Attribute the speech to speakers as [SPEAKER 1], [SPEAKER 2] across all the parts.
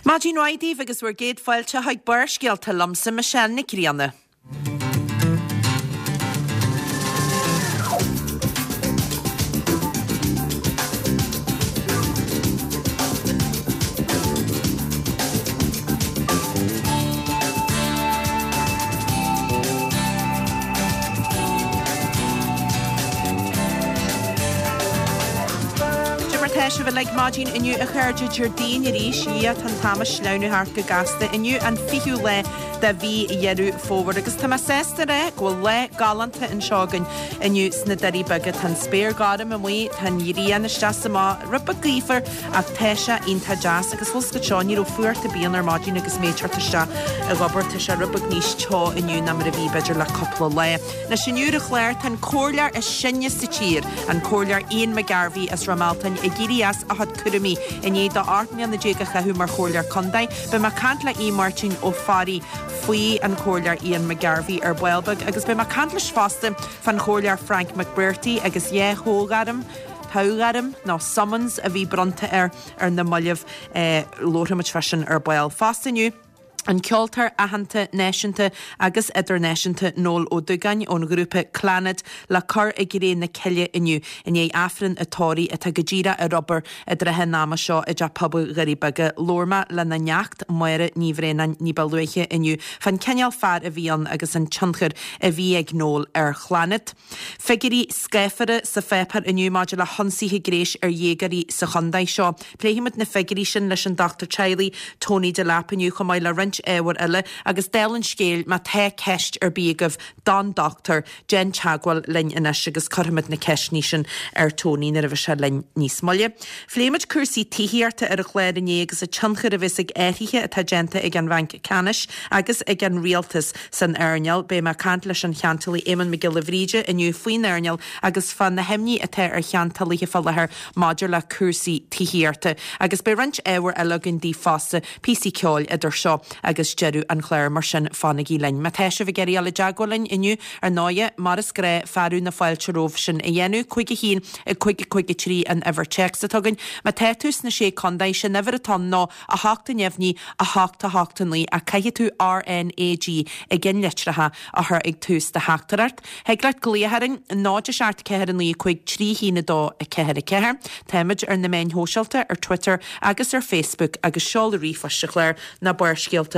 [SPEAKER 1] Maidin mhaith daoibh agus bhur gcéad fáilte chuig Barrscéalta liomsa, Michelle Nic Grianna. Cad é mar tá sibh uilig maidin inniu a chairde, Déardaoin arís, a Dhia tá an t-am ag sleamhnú thart go gasta. Inniu an 20ú lá de mhí Dheireadh Fómhair agus tá mé sásta a rá go bhfuil lá galánta anseo againn inniu sna Doirí Beaga. Tá an spéir gorm amuigh, tá an ghrian isteach is amach, rud beag gaofar ach tá sé iontach deas agus bhfuil 's agat seo, ní raibh fuacht ar bith ann ar maidin agus mé ag teacht isteach ag obair, tá sé rud beag níos teo inniu ná mar a bhí b'fhéidir le cúpla lá. Anois inniu ar an chlár tá an comhairleoir is sine sa tír, an Comhairleoir Ian McGarvey as Ráth Mealtain ag éirí as a chuid cúraimí i ndiaidh dó 18 mbliana a chaitheamh mar chomhairleoir contae. Beidh mé ag caint le Aodh Máirtín Ó Fearraigh faoi an Chomhairleoir Ian McGarvey ar ball beag agus beidh mé ag caint leis fosta fán Chomhairleoir Frank McBrearty agus dhá thoghairm, toghairm nó summons a bhí bronnta air ar na mallaibh. Labharfaidh muid fá sin ar ball fosta inniu. An ceoltóir aitheanta náisiúnta agus idirnáisiúnta Noel Ó Dúgáin ón ghrúpa Clannad le cur i gcré na cille inniu i ndiaidh Aifreann a tórraimh atá go díreach ar obair i dtrátha an ama seo i dTeach Pobail Dhoirí Beaga. Labhair mé lena neacht, Máire Ní Bhraonáin ní ba luaithe inniu fán cineál fear a bhí ann agus an tionchar a bhí ag Noel ar Chlannad. Figiúirí scáfara sa pháipéar inniu maidir le hionsaithe gnéis ar dhéagóirí sa chontae seo. Pléifimid na figiúirí sin leis an dochtúir teaghlaigh Tony Delap inniu chomh maith le roinnt ábhar eile agus dála an scéil má tá ceist ar bith agaibh don dochtúir, déan teagmháil linn anois agus cuirfimid na ceisteanna sin ar Tony nuair a bheidh sé linn níos moille. Phléigh muid cúrsaí tithíochta ar an chlár inné agus an tionchar a bheas ag athruithe atá déanta ag an Bhanc Ceannais agus ag an Rialtas san earnáil. Beidh mé ag caint leis an cheantálaí Éamonn Mac Giolla Bhríde inniu faoin earnáil agus fá na himní atá ar cheantálaithe fá láthair maidir le cúrsaí tithíochta. Agus beidh roinnt ábhar eile againn daoibh fosta, píosaí ceoil idir seo agus deireadh an chláir, mar sin fanaigí linn. Má tá sibh ag iarraidh dul i dteagmháil linn inniu, ar ndóighe, mar is gnáth, fearadh na fáilte romhaibh sin a dhéanamh. 5 1 5 5 3 an uimhir téacs atá againn. Má tá tú sna Sé Contae, sé'n uimhir atá ann ná 8 neamhní, 8 8 9, ach caithfidh tú RNAG i gceannlitreacha a chur ag tús do theachtaireacht. Thig leat glaoch orainn, 0 7 4 9 5 3 1 2 4 4. Táimid ar na meáin shóisialta, ar Twitter agus ar Facebook agus seoladh ríomhphoist an chláir ná Barrscéalta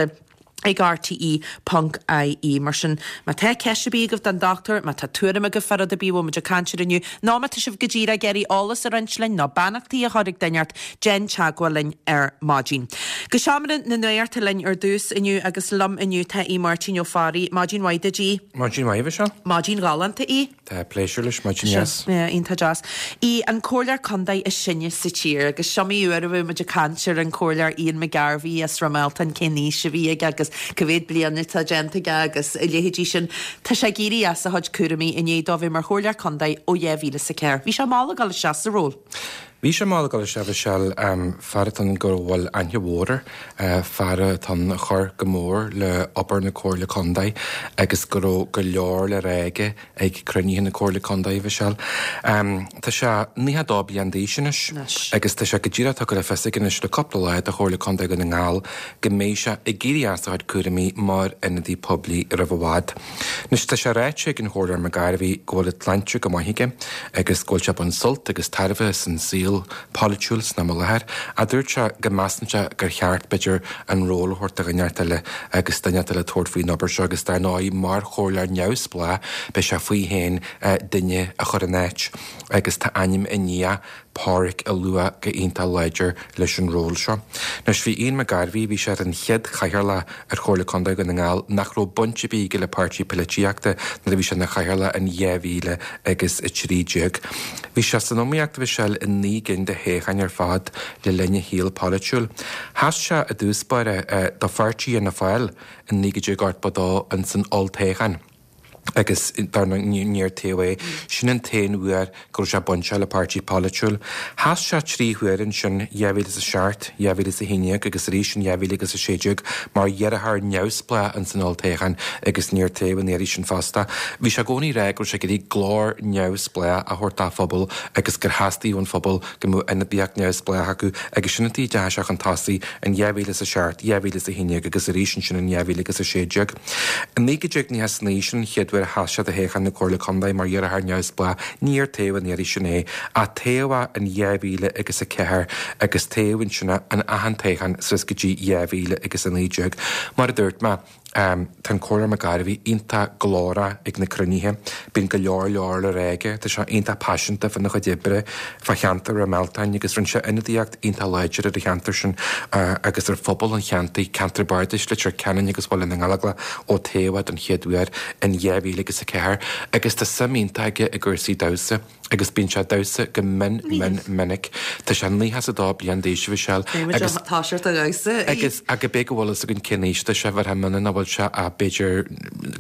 [SPEAKER 1] ag rte ponc ie. Mar sin, má tá ceist ar bith agaibh don dochtúir, má tá tuairim agaibh fá rud ar bith a bhfuil muid ag caint air inniu, nó má tá sibh go díreach ag iarraidh eolas a roinnt linn nó beannachtaí a chur ag duine inteacht, déan teagmháil linn ar maidin. Go seomra na nuachta linn ar dtús inniu agus liom inniu tá Aodh Máirtín Ó Fearraigh. Maidin mhaith duit, Aodh.
[SPEAKER 2] Maidin mhaith, a Mhichelle.
[SPEAKER 1] Maidin ghalánta, Aodh.
[SPEAKER 2] Tá pléisiúr leis, maidin dheas.
[SPEAKER 1] Yeah, iontach deas. Aodh, an comhairleoir contae is sine sa tír agus is iomaí uair a bhí muid ag caint ar an comhairleoir Ian McGarvey as Ráth Mealtain, cén aois a bhí aige agus cá mhéad bliain atá déanta aige agus a leithéidí sin. Tá sé ag éirí as a chuid cúraimí i ndiaidh dó bheith mar chomhairleoir contae ó 2004. Bhí sé mall ag dul isteach sa ról.
[SPEAKER 2] Bhí sé mall ag dul isteach, a Mhichelle, fear atá ann go bhfuil aithne mhór air, fear atá ann a chuir go mór le obair na Comhairle Contae agus go raibh go leor le rá aige ag cruinnithe na Comhairle Contae, a Mhichelle. Tá sé 92 bliain d'aois anois agus tá sé go díreach tugtha le fios aige anois le cúpla lá do Chomhairle Contae Dhún na nGall go mbeidh sé ag éirí as a chuid cúraimí mar ionadaí poiblí roimh i bhfad. Anois, tá sé ráite ag an Chomhairleoir McGarvey go bhfuil an tsláinte go maith aige agus go bhfuil sé ag baint sult agus tairbhe as an saol polaitiúil san am i láthair, ach dúirt sé go measann sé gur cheart, b'fhéidir, an ról a thabhairt do dhuine inteacht eile agus duine inteacht eile tabhairt faoin obair seo agus dar ndóigh mar chomhairleoir neamhspleách beidh sé faoi féin duine a chur in áit agus tá ainm a nia Páraic á lua go iontach láidir leis an ról seo. Anois bhí Ian McGarvey, bhí sé ar an chéad chathaoirleach ar Chomhairle Contae Dhún na nGall nach raibh baint ar bith aige le páirtí poilitíochta nuair a bhí sé ina chathaoirleach in 2000 agus 13. Bhí sé san iomaíocht, a Mhichelle, i 9 gcinn de thoghcháin ar fad le linn a shaoil polaitiúil. Sheas sé i dtús báire do pháirtí Fhianna Fáil in 1982 ins an olltoghchán. Agus dar ndóigh níor toghadh é. Sin an t-aon uair go raibh sé bainteach le páirtí polaitiúil. Sheas sé 3 huaire ansin, 2007, 2011 agus arís in 2016 mar iarrthóir neamhspleách ins an olltoghchán agus níor toghadh an iarraidh sin fosta. Bhí sé i gcónaí ag rá go raibh sé ag iarraidh glór neamhspleách a thabhairt dá phobal agus gur theastaigh ón phobal go mbeadh ionadaíocht neamhspleách acu agus sin an tuige a dteachaigh sé chun tosaigh in 2007, 2011 agus arís ansin in 2016. I 1999, sin an chéad uair a sheas sé do thoghchán na Comhairle Contae mar iarrthóir neamhspleách, níor toghadh an iarraidh sin é, ach toghadh é in 2004 agus toghadh ansin é in achan toghchán suas go dtí 2019. Mar a dúirt mé, tá an Comhairleoir McGarvey iontach glórach ag na cruinnithe, bíonn go leor leor le rá aige, tá sé iontach paiseanta fána chuid oibre fá cheantar Ráth Mealtain agus rinne sé ionadaíocht iontach láidir ar an cheantar sin agus ar phobal an cheantair, ceantar bardais Leitir Ceanainn agus Bhaile na nGallóglach ó toghadh é don chéad uair in 2004 agus tá suim iontach aige i gcúrsaí damhsa agus bíonn sé ag damhsa go mion mion minic. Tá sé 92 bliain d'aois, a Mhichelle, agus
[SPEAKER 1] Tá sé ag damhsa.
[SPEAKER 2] Agus cibé go bhfuil fhios againn cén aois atá sé, bheirfeá mionna nach bhfuil sé ach b'fhéidir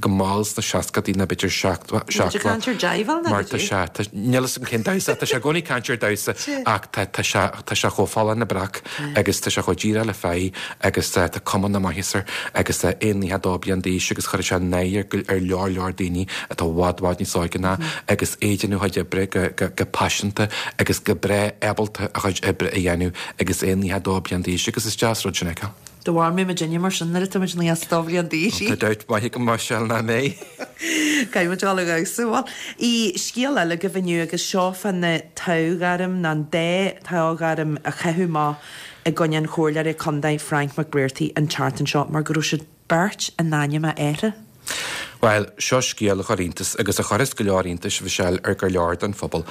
[SPEAKER 2] go mall sna seascadaí nó b'fhéidir 70,
[SPEAKER 1] Tá sé ag caint ar jive
[SPEAKER 2] mar tá sé, tá, níl fhios agam cén damhsa, tá sé i gcónaí ag caint ar damhsa ach tá, tá sé, tá sé chomh folláin le breac agus tá sé chomh díreach le faí agus tá cuma na maitheasa air agus é 92 bliain d'aois agus chuir sé náire ar, ar leor leor daoine atá i bhfad, bhfad níos óige ná agus é ag déanamh a chuid oibre go, go, go paiseanta agus go breá ábalta a chuid oibre a dhéanamh agus é 92 bliain d'aois agus is deas rud sin a fheiceáil.
[SPEAKER 1] Dá mhair mé muidinne mar sin nuair atá muid 92 bhliain d'aois.
[SPEAKER 2] Tá dabht maith agam Michelle nach mbeidh.
[SPEAKER 1] Caithfidh muid dul ag damhsa. Bhuel, i scéal eile agaibh inniu agus seo fá na toghairm, nó an dá toghairm a caitheadh amach i gcoinne an Chomhairleora Contae Frank McBrearty an tseachtain seo mar go raibh siad beirt in ainm a athara.
[SPEAKER 2] Bhuel, seo scéal a chuir iontas, agus a chuirfeas go leor iontais, Mhichelle, ar go leor den phobal.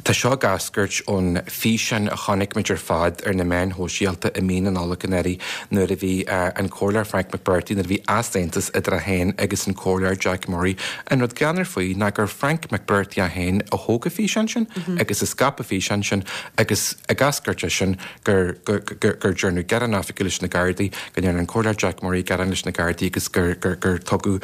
[SPEAKER 2] Tá seo ag eascairt ón físeán a chonaic muid ar fad ar na meáin shóisialta i mí na Nollag anuraidh nuair a bhí an Comhairleoir Frank McBrearty, nuair a bhí easaontas idir é féin agus an Comhairleoir Jack Murray. An rud greannmhar faoi ná gur Frank McBrearty é féin a thóg an físeán sin agus a scaip an físeán sin agus ag eascairt as sin gur gur dearnadh gearán oifigiúil leis na Gardaí, go ndearna an Comhairleoir Jack Murray gearán leis na Gardaí agus gur gur tugadh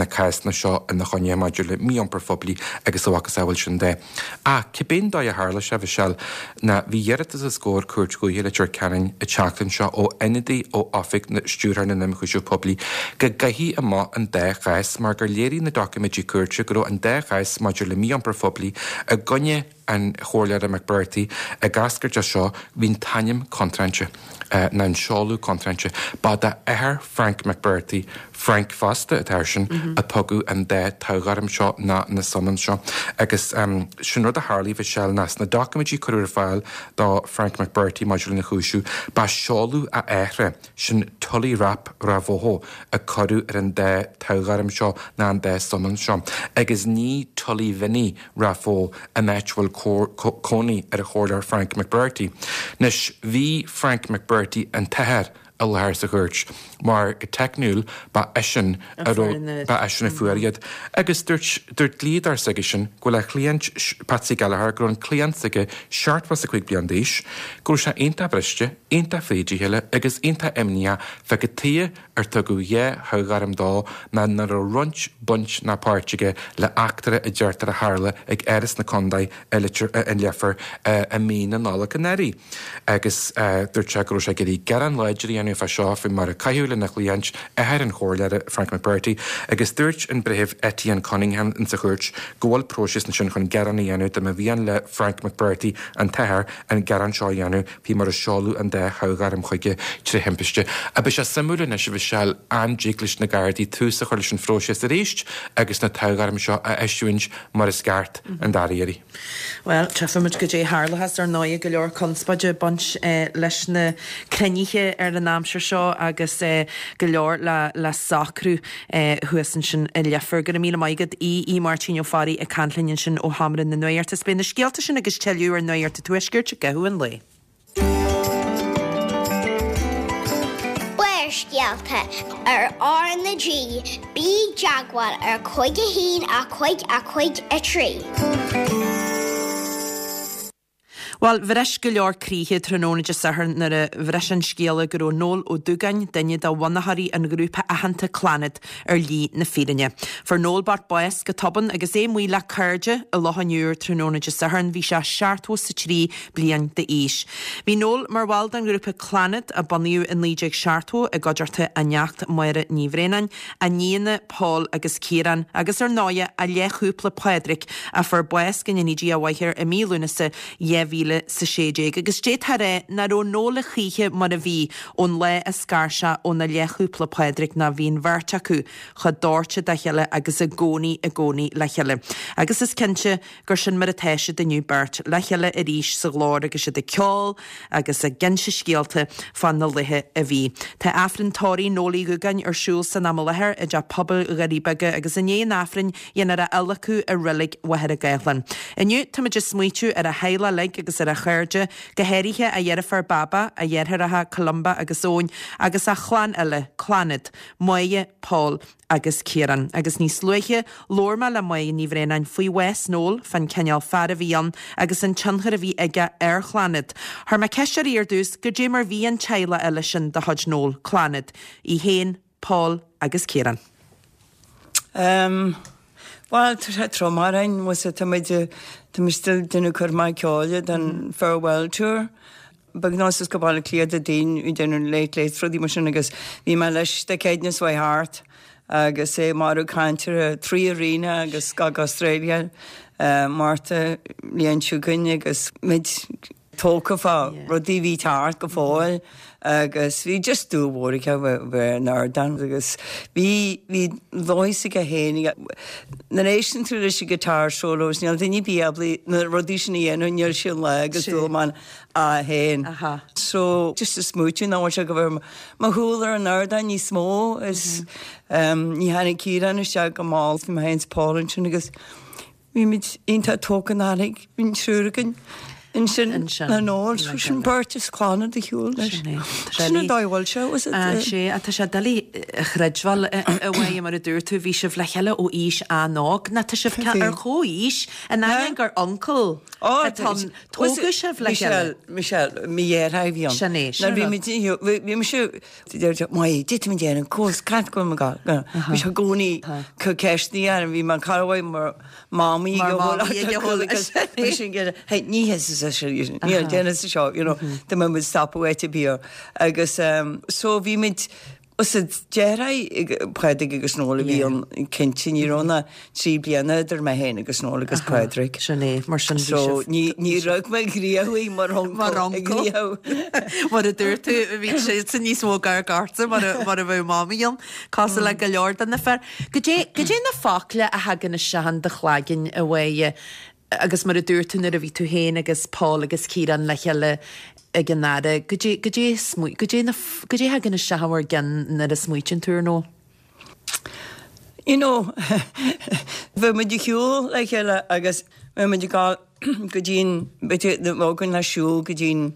[SPEAKER 2] na cásanna seo ina choinne maidir le mí-iompar phoiblí agus a mhacasamhail sin de. Ach cibé dóigh a tharla sé, Mhichelle, ná bhí iarratas os comhair Cúirt Dhúiche Leitir Ceanainn an tseachtain seo ó ionadaí ó Oifig Stiúrthóir na nIonchúiseamh Poiblí go gcaithfí amach an dá chás mar gur léirigh na doiciméidí cúirte go raibh an dá chás maidir le mí-iompar phoiblí i gcoinne an Chomhairleora McBrearty ag eascairt as seo, bhí an t-ainm contráilte, nó an seoladh contráilte. Ba dá athair Frank McBrearty, Frank fosta, an t-athair sin, a tugadh an dá toghairm seo, ná na summons seo. Agus sin rud a tharlaigh, Mhichelle, ná sna doiciméidí a cuireadh ar fáil do Frank McBrearty maidir lena chúiseamh, ba seoladh a athara, Sin Tully Rapp Ráth Bhoth a cuireadh ar an dá toghairm seo ná an dá summons seo, agus ní Tullyvinny Ráth Bhoth an áit a bhfuil cónaí ar an Chomhairleoir Frank McBrearty. Anois, bhí Frank McBrearty, an t-athair, i láthair sa chúirt, mar go teicniúil ba eisean a raibh, ba eisean a fuair iad. Agus dúirt, dúirt dlíodóir s'aigesean go bhfuil a chliant, Patsy Gallagher, go raibh an cliant s'aige 75 bliain d'aois, go raibh sé iontach briste, iontach fríd a chéile agus iontach imníoch fá cad tuighe ar tugadh dhá thoghairm dó ná nach raibh roinnt, baint ná páirt aige le eachtra a deirtear a tharla ag Áras na Condae i Leitir, i Leifear i mí na Nollag anuraidh. Agus dúirt sé go raibh sé ag iarraidh gearán láidir a dhéanamh fá seo faoi mar a caitheadh lena chliant, athair an Chomhairleora, Frank McBrearty, agus dúirt an Breitheamh Etienne Cunningham insa chúirt go bhfuil próiseas ansin chun gearán a dhéanamh dá mba mhian le Frank McBrearty, an t-athair, an gearán seo a dhéanamh faoi mar a seoladh an dá thoghairm chuige tré thimpiste. Beidh sé suimiúil anois, a Mhichelle, an dtig leis na Gardaí tús a chur leis an phróiseas arís agus na toghairm seo a eisiúint mar is ceart an dara iarraidh.
[SPEAKER 1] Bhuel, tchífimid goidé a tharlóchas. Ar ndóigh, go leor conspóide ag baint leis na cruinnithe ar an aimsir seo agus go leor le socrú thuas ansin i Leifear. Go raibh míle maith agat, Aodh Máirtín Ó Fearraigh ag caint linn ansin ó Sheomra na Nuachta. Is beidh na scéalta sin agus tuilleadh ar Nuacht an Tuaiscirt i gcaitheamh an lae.
[SPEAKER 3] Barrscéalta ar R na G, bí i dteagmháil ar 5 1 5 5 3.
[SPEAKER 1] Bhuel, bhris go leor croíthe tráthnóna Dé Sathairn nuair a bhris an scéala go raibh Noel Ó Dúgáin, duine de bhunaitheoirí an ghrúpa aitheanta Clannad, ar shlí na fírinne. Fuair Noel bocht bás go tobann agus é amuigh le cairde i Loch an Iúir tráthnóna Dé Sathairn. Bhí sé 73 bliain d'aois. Bhí Noel mar bhall den ghrúpa Clannad, a bunaíodh i 1970 i gcuideachta a neacht Máire Ní Bhraonáin, a nianna Pól agus Ciarán, agus ar ndóighe a leathchúpla Pádraic, a fuair bás go ndéanaí Dia a mhaith air i mí Lúnasa 2016. Agus d'fhéadfá a rá nach raibh Noel a choíche mar a bhí ón lá a scar sé óna leathchúpla Pádraic nó bhí an bheirt acu chomh dóite dá chéile agus i gcónaí i gcónaí le chéile. Agus is cinnte gur sin mar atá siad inniu, beirt le chéile arís sa ghlór agus iad ag ceol agus ag inse scéalta fá na laetha a bhí. Tá Aifreann tórraimh Noel Uí Dhúgáin ar siúl san am i láthair i dTeach Pobail Dhoirí Beaga agus i ndiaidh an Aifrinn dhéanfar a adhlacadh i Reilig Mhachaire Gathlán. Inniu táimid ag smaoitiú ar a theaghlach uilig agus ar a chairde, go háirithe a dheirfiúr Baba, a dheartháireacha Columba agus Eoin agus a chlann uile, Clannad, Máire, Pól agus Ciarán. Agus níos luaithe, labhair mé le Máire Ní Bhraonáin faoi bhás Noel, fán cineál fear a bhí ann agus an tionchar a bhí aige ar Chlannad. Chuir mé ceist uirthi ar dtús goidé mar bhí an teaghlach eile sin de chuid Noel, Clannad, í féin, Pól agus Ciarán.
[SPEAKER 4] Em, bhuel, tá sé trom orainn, bhfuil 's tá muid, tá muid still déanamh cur amach ceoil don farewell tour. Beagnach suas go Baile Átha Cliath Dé Daoin ag déanamh Late Late rudaí mar sin agus bhí mé leis Dé Céadaoin is uaidh thart agus é marbh caint ar 3 arena agus go Australia Márta bhliain seo chugainn agus muid tógtha fá rudaí a bhí thart go fóill agus bhí just dúil mhór aige bheith ar an ardán agus bhí bhí dóigh aige féin nuair a éisteann tú leis an guitar solos níl duine ar bith ábalta na rudaí sin a dhéanamh níl sé an lá agus dúil man a féin. So just a smaoitiú nach bhfuil sé go bhfuil mo shúil ar an ardán níos mó is ní tháinig Ciarán isteach go mall bhí mé féin is Paul ansin agus bhí muid iontach tógtha nár thuig bhí an triúr againn ansin le Noel so sin beirt as Clannad ar shiúl leis. Sin an dóigh a bhfuil sé was it?
[SPEAKER 1] Sea, tá sé doiligh a chreidbheáil a Mháire mar a dúirt tú bhí sibh le chéile ó aois an-óg nó tá sibh ar chomhaois in ainneoin gur uncail atá ann. Tógadh sibh le chéile.
[SPEAKER 4] Michelle, mo dheartháir a bhí ann.
[SPEAKER 1] Sin é, sin
[SPEAKER 4] Nuair bhí muid, bhí mise, deir sé, Maigh, d'fhéadfainn déanamh cós, cad go bhfuil mé ag Bhí sé i gcónaí ag ceistiú orm, bhí mé cara uaidh mar mamaí
[SPEAKER 1] Mar mamaí ag a shúil
[SPEAKER 4] agus bhí sin ag hey, ní hé sa seo, níl déanamh sa seo, you know, dá mbeadh muid stopadh áit ar bith. Agus so bhí muid, Is deartháir Pádraig agus Noel a bhí ann cinnte, ní raibh ach 3 bliana idir mé féin agus Noel agus Pádraig.
[SPEAKER 1] Sin é, mar sin bhí
[SPEAKER 4] So sibh. ní ní raibh mé gníomhaí mar uncail.
[SPEAKER 1] Mar uncail. Mar a dúirt tú, bhí siadsan níos mó gar gorta mar a mar a bheadh mamaí ann, cosúil le go leor de na fir. Goidé goidé na focla a thagann isteach in do chloigeann a Mháire Agus mar a dúirt tú nuair a bhí tú féin agus Paul agus Ciarán le chéile ag an fhaire, goidé, goidé, goidé na, goidé a thagann isteach in bhur gceann nuair a smaoitíonn tú ar Noel?
[SPEAKER 4] You know, bheadh muid ag siúl le chéile agus bheadh muid ag dul go dtí an, b'fhéidir, bheadh againn le siúl go dtí an,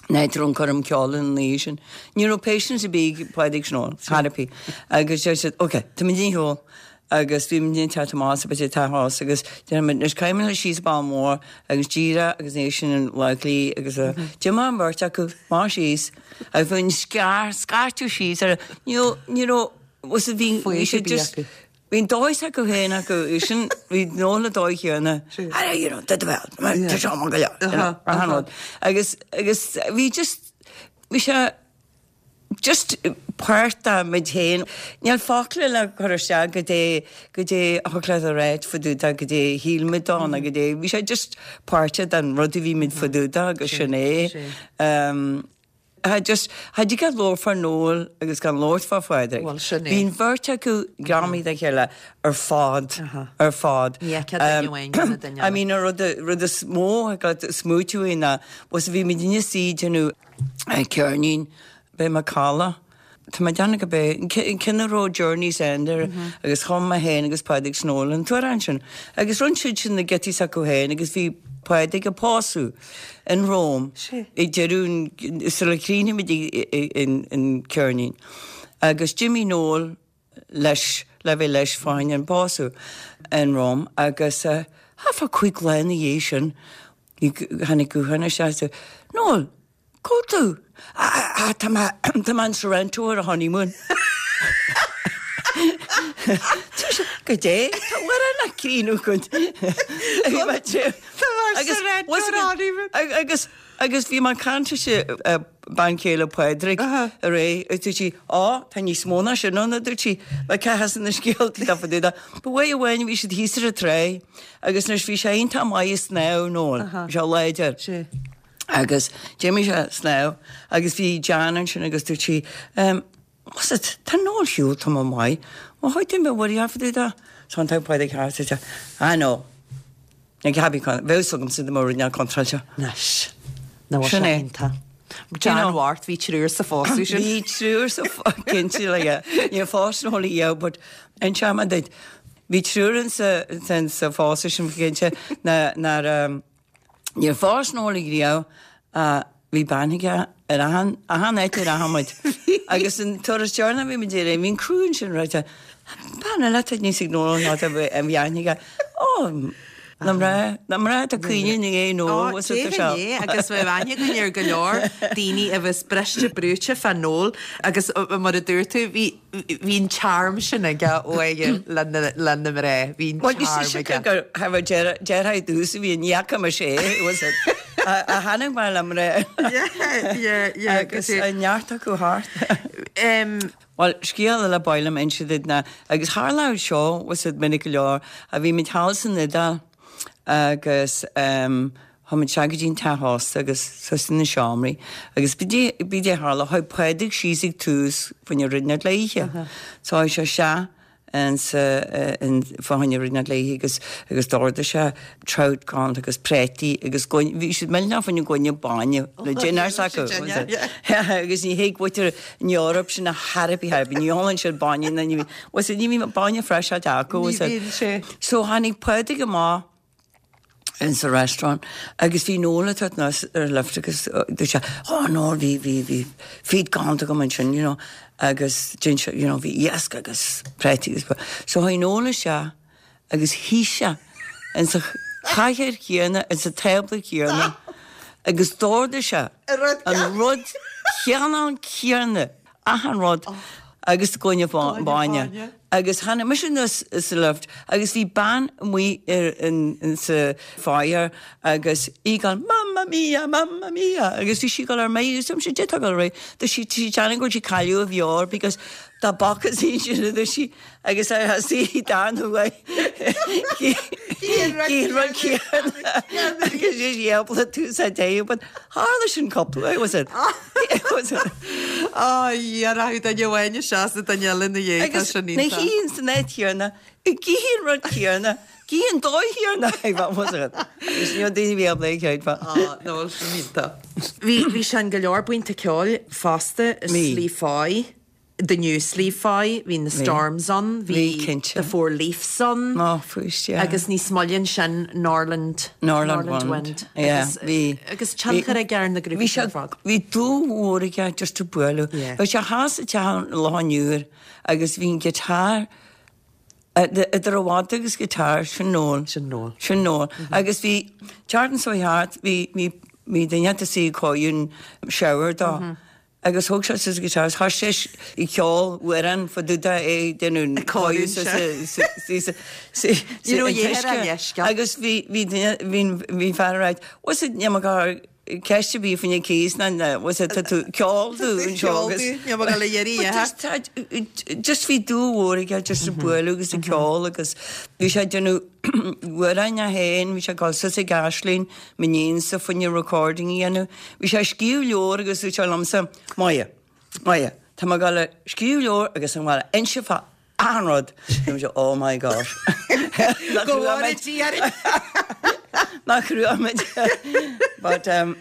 [SPEAKER 4] an áit a raibh an coirm ceoil an oíche sin. Ní raibh patience ar bith ag Pádraig 's Noel, chor ar bith. Agus deir siad, ok, tá muid ag siúl. Agus bhí muid ag teacht amach as bit tá house agus deir muid, anois caithfidh muid síos Baile Mór agus díreach agus ní sin an Bhaile agus a d'imigh an bheirt acu amach síos agus bhí an scear scairteadh síos ar ní raibh ní raibh was it bhí bhí sé just Bhí an dóigh s'acu féin acu, sin, bhí Noel na dóigh chéanna. Ah, you know, did well, tá seo mar go leor, you know, achan rud. Agus, agus bhí just, bhí sé just páirt de muid féin. Níl focla le cur isteach goidé, goidé a thug leat a ráit fá dtaobh de, goidé a shíl muid dó nó goidé, bhí sé just páirt den rud a bhí muid fá dtaobh de agus sin é. Cha just, cha dtig leat labhairt fá Noel agus gan labhairt fá Phádraig.
[SPEAKER 1] Bhuel, sin é.
[SPEAKER 4] Bhí an bheirt acu greamaithe dá chéile ar fad, ar fad.
[SPEAKER 1] Ní fheicfeá duine amháin gan an duine
[SPEAKER 4] I mean, an rud, rud is mó a got smaoitiú é ná, was bhí muid ina suí ag déanamh ceirnín, b'é Macalla, Tá mé ag déanamh go b'é an ceann a raibh Journey's End air agus chum mé féin agus Pádraig 's Noel an t-amhrán sin. Agus rinne siad sin na giotaí s'acu féin agus bhí Pádraig ag pósadh in Rome ag deireadh an, sula chríochnaigh muid an ceirnín. Agus d'imigh Noel leis, le bheith leis fá choinne an pósadh in Rome agus thart fá chúig lá ina dhiaidh sin. Tháinig guthán isteach is Noel, cá bhfuil tú? Ah, tá mé, tá mé in Sorrento ar a honeymoon. Goidé, tá uair na críonú go. Bhí mé
[SPEAKER 1] Tá mé ar Sorrento ar a honeymoon.
[SPEAKER 4] Agus, agus bhí mé ag caint leis bean chéile Pádraig aréir, agus dúirt sí, Á, tá níos mó ná sin ann, a dúirt sí, le cá has na scéalta tá fá dtaobh de. Ba uair amháin bhí siad thíos ar an tráigh agus anois bhí sé iontach maith ag snámh, Noel, bhí sé láidir. Agus d'imigh sé ag snámh agus bhí Jan ansin agus dúirt sí, Ehm, what's it, tá Noel shiúl tamall maith, bhuel chuaigh tú mé bhfuil fá dtaobh de? So an t-am Pádraig thart, dúirt sé, Ah no. Ní ceapaim go bheadh fhios agamsa dá mba rud neamh contráilte.
[SPEAKER 1] Anois. Nó
[SPEAKER 4] Sin é.
[SPEAKER 1] iontach. Jan Mhart, bhí triúr sa phósadh sin.
[SPEAKER 4] Bhí triúr sa cinnte like níor phós Noel riamh but inseoidh mé duit bhí triúr in sa in sa phósadh sin cinnte ná nár níor phós Noel riamh ach bhí bean aige ar achan achan áit a rachaidh muid. Agus an turas deireanach bhí muid ar bhí an criú ansin ráite bean eile atá níos ag Noel ná tá a bhí aithne aige. Ó na mná na mná atá caoine i ndiaidh Noel was it
[SPEAKER 1] Ó déarfainn é agus bheadh aithne againn ar go leor daoine a bheas briste brúite fá Noel agus mar a dúirt tú bhí Bhí an charm sin aige uaidh le na mná. Bhí an charm aige.
[SPEAKER 4] Gur have a deartháir dús a bhí in fhaca mise é, was it? A tháinig mé le mná.
[SPEAKER 1] Yeah, yeah, yeah.
[SPEAKER 4] Agus a neart acu thart. Bhuel, scéal eile ba mhaith liom inse duit ná, agus tharla seo, was it, minic go leor, a bhí muid thall san Iodáil agus Chuaigh muid isteach go dtí an teach ósta agus suas sna seomraí agus b'é a tharla, chuaigh Pádraig síos ag tús fá choinne rud inteacht le ithe. So chuaigh sé isteach insa, in, fá choinne rud inteacht le ithe agus, agus d'ordaigh sé trout galánta agus préataí agus gloine, bhí siad millteanach fá choinne gloine bainne le dinnéar s'acu. Agus ní thuig muintir an Eoraip sin ar chor ar bith, ar bith, ní ólann siad bainne ná ní, was it, ní bhíonn bainne freiseáilte acu, was it.
[SPEAKER 1] Ní bhíonn sé.
[SPEAKER 4] So tháinig Pádraig amach in sa restaurant agus bhí Noel ag tabhairt anuas ar lift agus dúirt sé oh Noel bhí bhí bhí feed galánta agam ansin you know agus dhein sé you know bhí iasc agus préataí agus so chuaigh Noel isteach agus shuigh sé in sa chathaoir chéanna in sa tábla chéanna agus d'ordaigh sé an rud céanna céanna achan rud agus gloine bainne agus tháinig mise anuas sa lift agus bhí bean amuigh ar in sa foyer agus í ag gabháil mamma mia mamma mia agus bhí sí ag gabháil ar mire agus dúirt mise goidé tá ag gabháil ar aghaidh dúirt sí tá sí ag déanamh go bhfuil sí ag cailleadh a meabhair because tá bacas í sin a dúirt sí Agus ar thosaigh Dan uaidh cén rud céanna agus is éabla tús a dtéadh but tharla sin cúpla uair was it? Was it?
[SPEAKER 1] Á Dhia rachadh duine amháin isteach sa duine eile ina dhiaidh tá
[SPEAKER 4] Agus
[SPEAKER 1] sin
[SPEAKER 4] na
[SPEAKER 1] iontach.
[SPEAKER 4] shuí san áit chéanna ag ithe an rud céanna ag ithe an dóigh chéanna was it? Agus ní raibh daoine a bhí ábalta é a chreidbheáil.
[SPEAKER 1] Á nó sin iontach. Bhí bhí sé in go leor buíonta ceoil fosta i
[SPEAKER 4] Bhí.
[SPEAKER 1] Sliabh Foy. The New Sliabh Foy, bhí na Storms ann,
[SPEAKER 4] Bhí,
[SPEAKER 1] bhí
[SPEAKER 4] cinnte.
[SPEAKER 1] The Four Leafs ann.
[SPEAKER 4] Ó, fuist, yeah.
[SPEAKER 1] Agus níos moille ansin, Norland,
[SPEAKER 4] Norland Wind.
[SPEAKER 1] Wind.
[SPEAKER 4] Yeah,
[SPEAKER 1] Agus,
[SPEAKER 4] bhí.
[SPEAKER 1] agus tionchar aige ar na grúpaí
[SPEAKER 4] Bhí sé,
[SPEAKER 1] sin ar fad.
[SPEAKER 4] bhí dúil mhór aige just ag bualadh.
[SPEAKER 1] Yeah.
[SPEAKER 4] Bhí sé thall sa teach an Loch Iúir agus bhí an guitar, idir a mhadadh agus guitar, sin Noel.
[SPEAKER 1] Sin Noel.
[SPEAKER 4] Sin Noel. Agus bhí, Charlton so thart, bhí, bhí, bhí duine ata suí ag cóiriú an shower dó. Agus thóg sé suas an guitar agus thoisigh sé ag ceol amhrán fá dtaobh de é ag déanamh
[SPEAKER 1] cóiriú
[SPEAKER 4] sa sa sa
[SPEAKER 1] Ní raibh a dhéar á leithscéal.
[SPEAKER 4] Agus bhí bhí duine bhí bhí fear ag ráit was it níl mé ag cur ceist ar bith faoina cíos ná na was it tá tú ceol tú anseo agus
[SPEAKER 1] Níl mé ag dul a iarraidh
[SPEAKER 4] But just tá just bhí dúil mhór aige just ag bualadh agus ag ceol agus bhí sé ag déanamh amhráin é féin bhí sé ag dul suas ag Aisling m'iníonsa fá choinne recording a dhéanamh. Bhí sé ag scríobh leabhar agus dúirt sé liomsa, Máire, Máire, tá mé ag dul a scríobh leabhar agus tá mé ag dul a inse fá achan rud. Bhí mise, oh my gosh.
[SPEAKER 1] Go bhfóire Dia orainn!
[SPEAKER 4] Nach raibh muid. But um,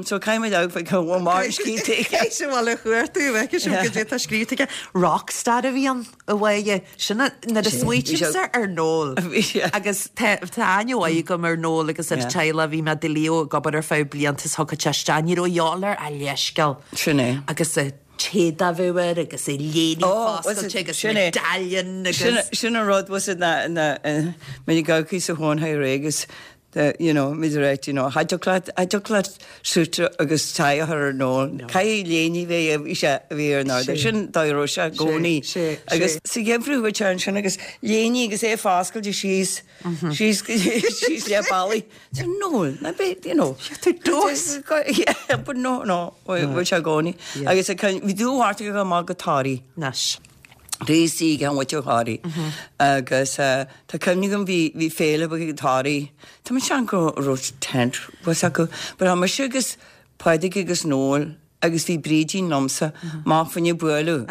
[SPEAKER 4] so caithfidh muid amharc fá go bhfuil mar scríte aige.
[SPEAKER 1] Caithfidh sibh a chuartú, bhfeicfidh sibh goidé atá scríte aige. Rockstar a bhí ann. A Mháire, sin nuair a smaoitímse ar Noel agus tá aithne mhaith agam ar Noel agus ar a teaghlach, bhí mé i do Leo ag obair ar feadh blianta is thiocfadh sé isteach, ní raibh a dhíobháil air ach leithscéal.
[SPEAKER 4] Sin é.
[SPEAKER 1] Agus a t-éadach a bheadh air agus a léine foscailte agus medallion agus.
[SPEAKER 4] Sin an rud, was it na, na, mé ag amharc sa chóin agus. The, you know, muid ag ráit, you know, cha dtiocfadh leat, cha dtiocfadh leat suit agus tie a chur ar Noel. Caithfidh léine a bheith, bhí sé, a bhí ar an ardán. Sin dóigh a raibh sé i gcónaí. Agus sa gheimhreadh bhí sé ansin agus léine agus é foscailte síos, síos, síos le ballaí. So Noel, ná beidh, you know.
[SPEAKER 1] Tú dós!
[SPEAKER 4] Yeah, but no, no, bhí sé i gcónaí. Agus bhí dúbhart aige amach go Toraigh.
[SPEAKER 1] Anois.
[SPEAKER 4] Bhí ag an mhuintir Thoraí agus tá cuimhne agam bhí bhí féile ag Toraí, tá mé ag sean go raibh tent was acu but tá mise agus Pádraig agus Noel agus bhí Brídín liomsa amach fá choinne bualadh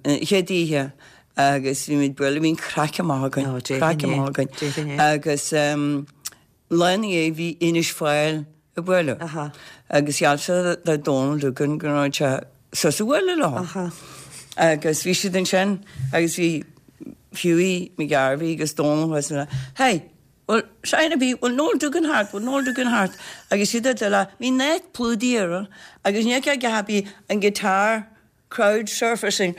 [SPEAKER 4] an chéad oíche agus bhí muid bualadh bhí an craic amach againn, craic amach againn agus Lá ina dhiaidh bhí Inis Fáil ag bualadh agus gheall sé do Dónal Duggan go raibh sé suas a bhualadh leo. Agus bhí siad ansin agus bhí Hughie McGarvey agus Dónal thuas ann, Hey, bhfuil sign ar bith, bhfuil Noel Duggan thart, bhfuil Noel Duggan thart? Agus siad ag dul, bhí net plúdaí orthu agus ní fheicfeá bhí an guitar crowd surfacing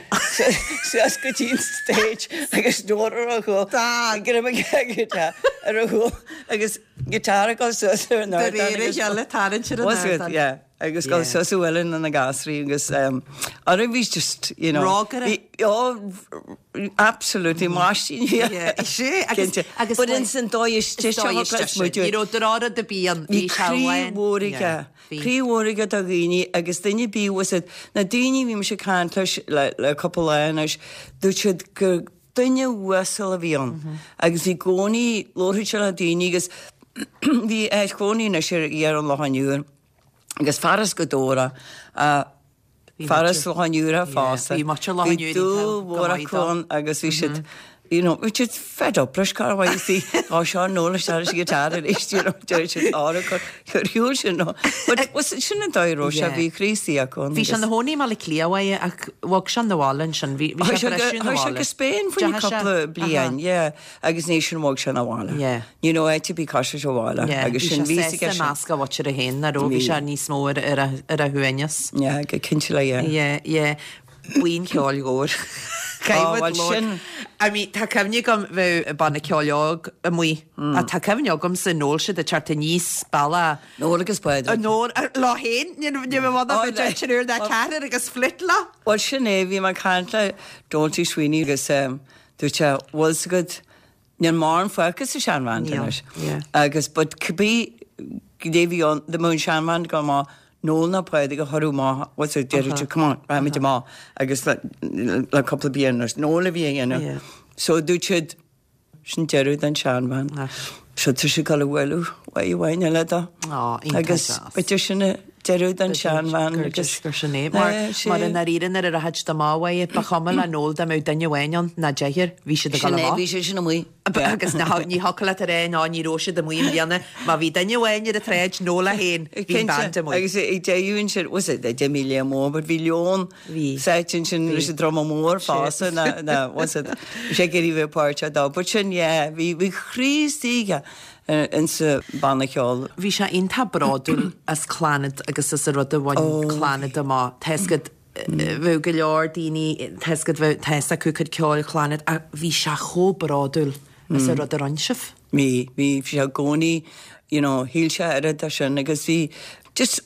[SPEAKER 4] suas go dtí an stage agus Noel ar a chúl, greim aige ar a chúl agus guitar ag dul suas ar an
[SPEAKER 1] ardán. De réir a chéile tarraingt ar an ardán.
[SPEAKER 4] Yeah, agus dul suas a bhualadh na gasraí agus ara bhí just, you know.
[SPEAKER 1] Rógaire.
[SPEAKER 4] Oh, absolutely, máistín.
[SPEAKER 1] Yeah, sé agus
[SPEAKER 4] But ins an dóigh istigh seo
[SPEAKER 1] Ní raibh drár de bíon
[SPEAKER 4] bhí croí mhór aige. Croí mhór aige do dhaoine agus duine ar bith bhfuil 's agat, na daoine a bhí mise ag caint leis le cúpla lá anois, dúirt siad gur duine uasal a bhí ann agus bhí i gcónaí, labharfadh sé le daoine agus bhí áit chónaí anois ar dheireadh an Locháin Úir agus fear as Gaoth Dobhair é, fear as Loch an Iúir fosta.
[SPEAKER 1] Bhí muintir Loch an
[SPEAKER 4] Bhí
[SPEAKER 1] Iúir
[SPEAKER 4] dúil mhór acu ann agus bhí siad, you know, bhí siad fed up leis cá raibh sí, á seo Noel isteach leis an guitar arís, you know, deir siad á chur chur shiúl sin nó. But was it sin an dóigh a raibh sé, bhí croí istigh acu
[SPEAKER 1] ann. Bhí sé ina chónaí i mBaile Átha Cliath uaidh ach bhog sé 'na bhaile ansin, bhí bhí sé ag briseadh 'na
[SPEAKER 4] Chuaigh sé
[SPEAKER 1] bhaile.
[SPEAKER 4] go Spain faoi cúpla bliain, yeah, agus ní sin bhog sé 'na bhaile.
[SPEAKER 1] Yeah.
[SPEAKER 4] Ní raibh áit ar bith cois sa bhaile
[SPEAKER 1] Yeah,
[SPEAKER 4] agus
[SPEAKER 1] bhí
[SPEAKER 4] sin
[SPEAKER 1] sé
[SPEAKER 4] bhí
[SPEAKER 1] sásta i measc a mhuintire féin, nach raibh, bhí sé níos mó ar ar a ar a shuaimhneas.
[SPEAKER 4] Yeah, go cinnte le yeah.
[SPEAKER 1] Yeah, yeah. Buíon cheoil mhór.
[SPEAKER 4] Ó, bhuel sin.
[SPEAKER 1] I mean, tá cuimhne agam bheadh banna ceoil óg amuigh, ach tá cuimhne agamsa Noel siad ag teacht aníos bealach.
[SPEAKER 4] Noel agus Pádraig.
[SPEAKER 1] Noel, leo féin, ní raibh i bhfad ach triúr nó ceathrar agus fliúit leo.
[SPEAKER 4] Bhuel sin é, bhí mé ag caint le Doalty Sweeney agus dúirt sé, bhfuil 's agat, Níl mórán fágtha sa seanbhand anois. Agus but cibé cé bhí ann, dá mbeadh an seanbhand ag dul amach, Noel nó Pádraig a chuireadh amach, what's it, deireadh siad, come on, raghaimid amach agus le le cúpla bliain anois, Noel a bhí á dhéanamh. So dúirt siad, sin deireadh den seanbhand. So tá siad ag dul a bhualadh uaidh amháin eile dó. Agus b'fhéidir sin an deireadh den seanbhand agus.
[SPEAKER 1] Gur sin é. Mar mar i ndáiríre nuair a rachadh siad amach uaidh, ba chuma le Noel dá mbeadh duine amháin ann ná deichniúr, bhí siad ag dul
[SPEAKER 4] Sin é,
[SPEAKER 1] amach.
[SPEAKER 4] bhí sé sin amuigh.
[SPEAKER 1] Agus ní thiocfadh leat a rá ná ní raibh siad amuigh i mbliana, má bhí duine amháin ar an tsráid, Noel é féin, bhí an band amuigh.
[SPEAKER 4] Agus ag deireadh ansin, was it, d'imigh Liam Mór, but bhí Leon sáite ansin leis an druma mór fosta, na, na, was it, bhí sé ag iarraidh bheith páirteach dó. But sin, yeah, bhí, bhí croí istigh aige insa banna ceoil.
[SPEAKER 1] Bhí sé iontach bródúil as Clannad agus as an rud a bhain Clannad amach. Tá 'fhios agat, bheadh go leor daoine, tá 'fhios agat, bheadh, tá 'fhios acu cuid ceoil Chlannad ach bhí sé chomh bródúil as an rud a rinne sibh.
[SPEAKER 4] Bhí, bhí, bhí sé i gcónaí, you know, shíl sé oiread de sin agus bhí just,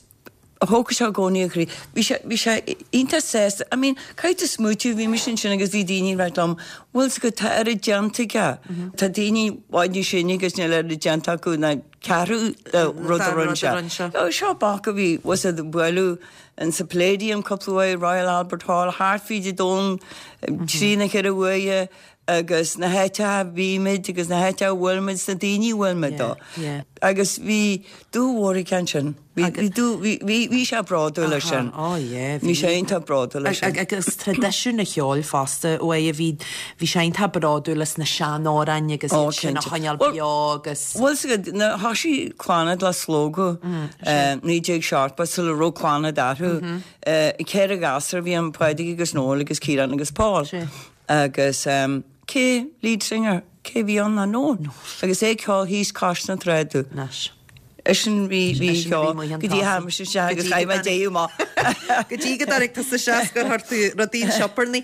[SPEAKER 4] thógadh sé i gcónaí a chroí. Bhí sé, bhí sé iontach sásta, I mean, caithfidh tú smaoitiú, bhí mise ansin agus bhí daoine ag ráit liom, bhfuil 's agat, tá oiread déanta aige, tá daoine i bhfad níos sine agus níl oiread déanta acu ná ceathrú de rud a rinne sé. Seo boc a bhí, was it, bualadh in sa Palladium cúpla uair, Royal Albert Hall, thart fríd an domhan, trí na ceithre uaire agus na háiteacha a bhí muid agus na háiteacha a bhfuil muid, na daoine a bhfuil muid dó. Agus bhí dúil mhór aige ansin. Bhí, bhí dú, bhí, bhí, bhí sé bródúil as sin.
[SPEAKER 1] Oh yeah,
[SPEAKER 4] bhí. Bhí sé iontach bródúil as sin.
[SPEAKER 1] Agus traidisiún an cheoil fosta, uaidh a bhí, bhí sé iontach bródúil as na seanamhráin agus iad sin a choinneáil beo agus.
[SPEAKER 4] Bhfuil 's agat, nuair a thoisigh Clannad le Slógadh, 1970, sula raibh Clannad orthu, ceithre ghasúr a bhí ann, Pádraig agus Noel agus Ciarán agus Paul. Agus cé lead singer, cé bhí ann ná Noel. Agus é ag ceol thíos cois na tráda.
[SPEAKER 1] Anois.
[SPEAKER 4] Eisean bhí bhí seo go dtí tháinig mise isteach agus chaith mé deireadh amach.
[SPEAKER 1] Go dtí go dtáinig tusa isteach gur chuir tú rudaí an sioparnaí.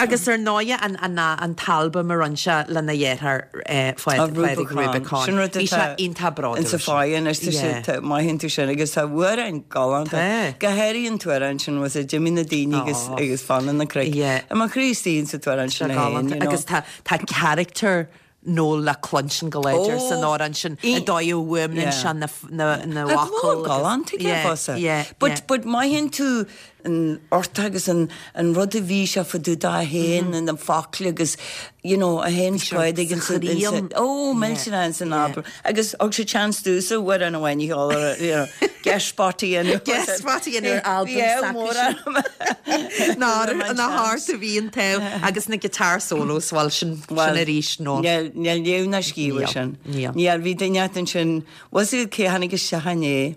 [SPEAKER 1] Agus ar ndóighe an an an t-albam a rinne sé lena dheartháir Pádraig Rubicon.
[SPEAKER 4] Sin rud
[SPEAKER 1] Bhí sé
[SPEAKER 4] atá
[SPEAKER 1] iontach bródúil.
[SPEAKER 4] Insa fáidhe anois tá sé
[SPEAKER 1] Yeah.
[SPEAKER 4] tá maith tú sin agus tá amhráin galánta.
[SPEAKER 1] Tá.
[SPEAKER 4] Go háirithe an t-amhrán sin was it D'imigh na daoine agus
[SPEAKER 1] Oh.
[SPEAKER 4] agus fanann na cnoic.
[SPEAKER 1] Yeah.
[SPEAKER 4] I mo chroí istigh insa t-amhrán
[SPEAKER 1] Tá
[SPEAKER 4] sin
[SPEAKER 1] sé
[SPEAKER 4] a fhéin,
[SPEAKER 1] galánta.
[SPEAKER 4] you know.
[SPEAKER 1] Agus tá tá character Noel le cluinstin go láidir san amhrán sin,
[SPEAKER 4] Oh,
[SPEAKER 1] an dóigh a bhfuaimníonn sé na na
[SPEAKER 4] Tá
[SPEAKER 1] focail
[SPEAKER 4] go leor galánta aige fosta. But but mothaíonn tú an ort agus an an rud a bhí sé fá dtaobh dó fhéin and an focal agus you know a fhéin spread ag an sa oh millteanach ins an albam agus thug sé chance domhsa amhrán amháin a cheol ar you know guest spot a dhéanamh.
[SPEAKER 1] Guest spot a dhéanamh ar albam s'acu. Ná thart a bhí an t-ádh agus na guitar solos, bhuel sin sin arís nó.
[SPEAKER 4] Níl níl léamh ná scríobh air sin.
[SPEAKER 1] Níl.
[SPEAKER 4] Níl, bhí duine inteacht ansin, bhfuil fhios agat cé a tháinig isteach inné,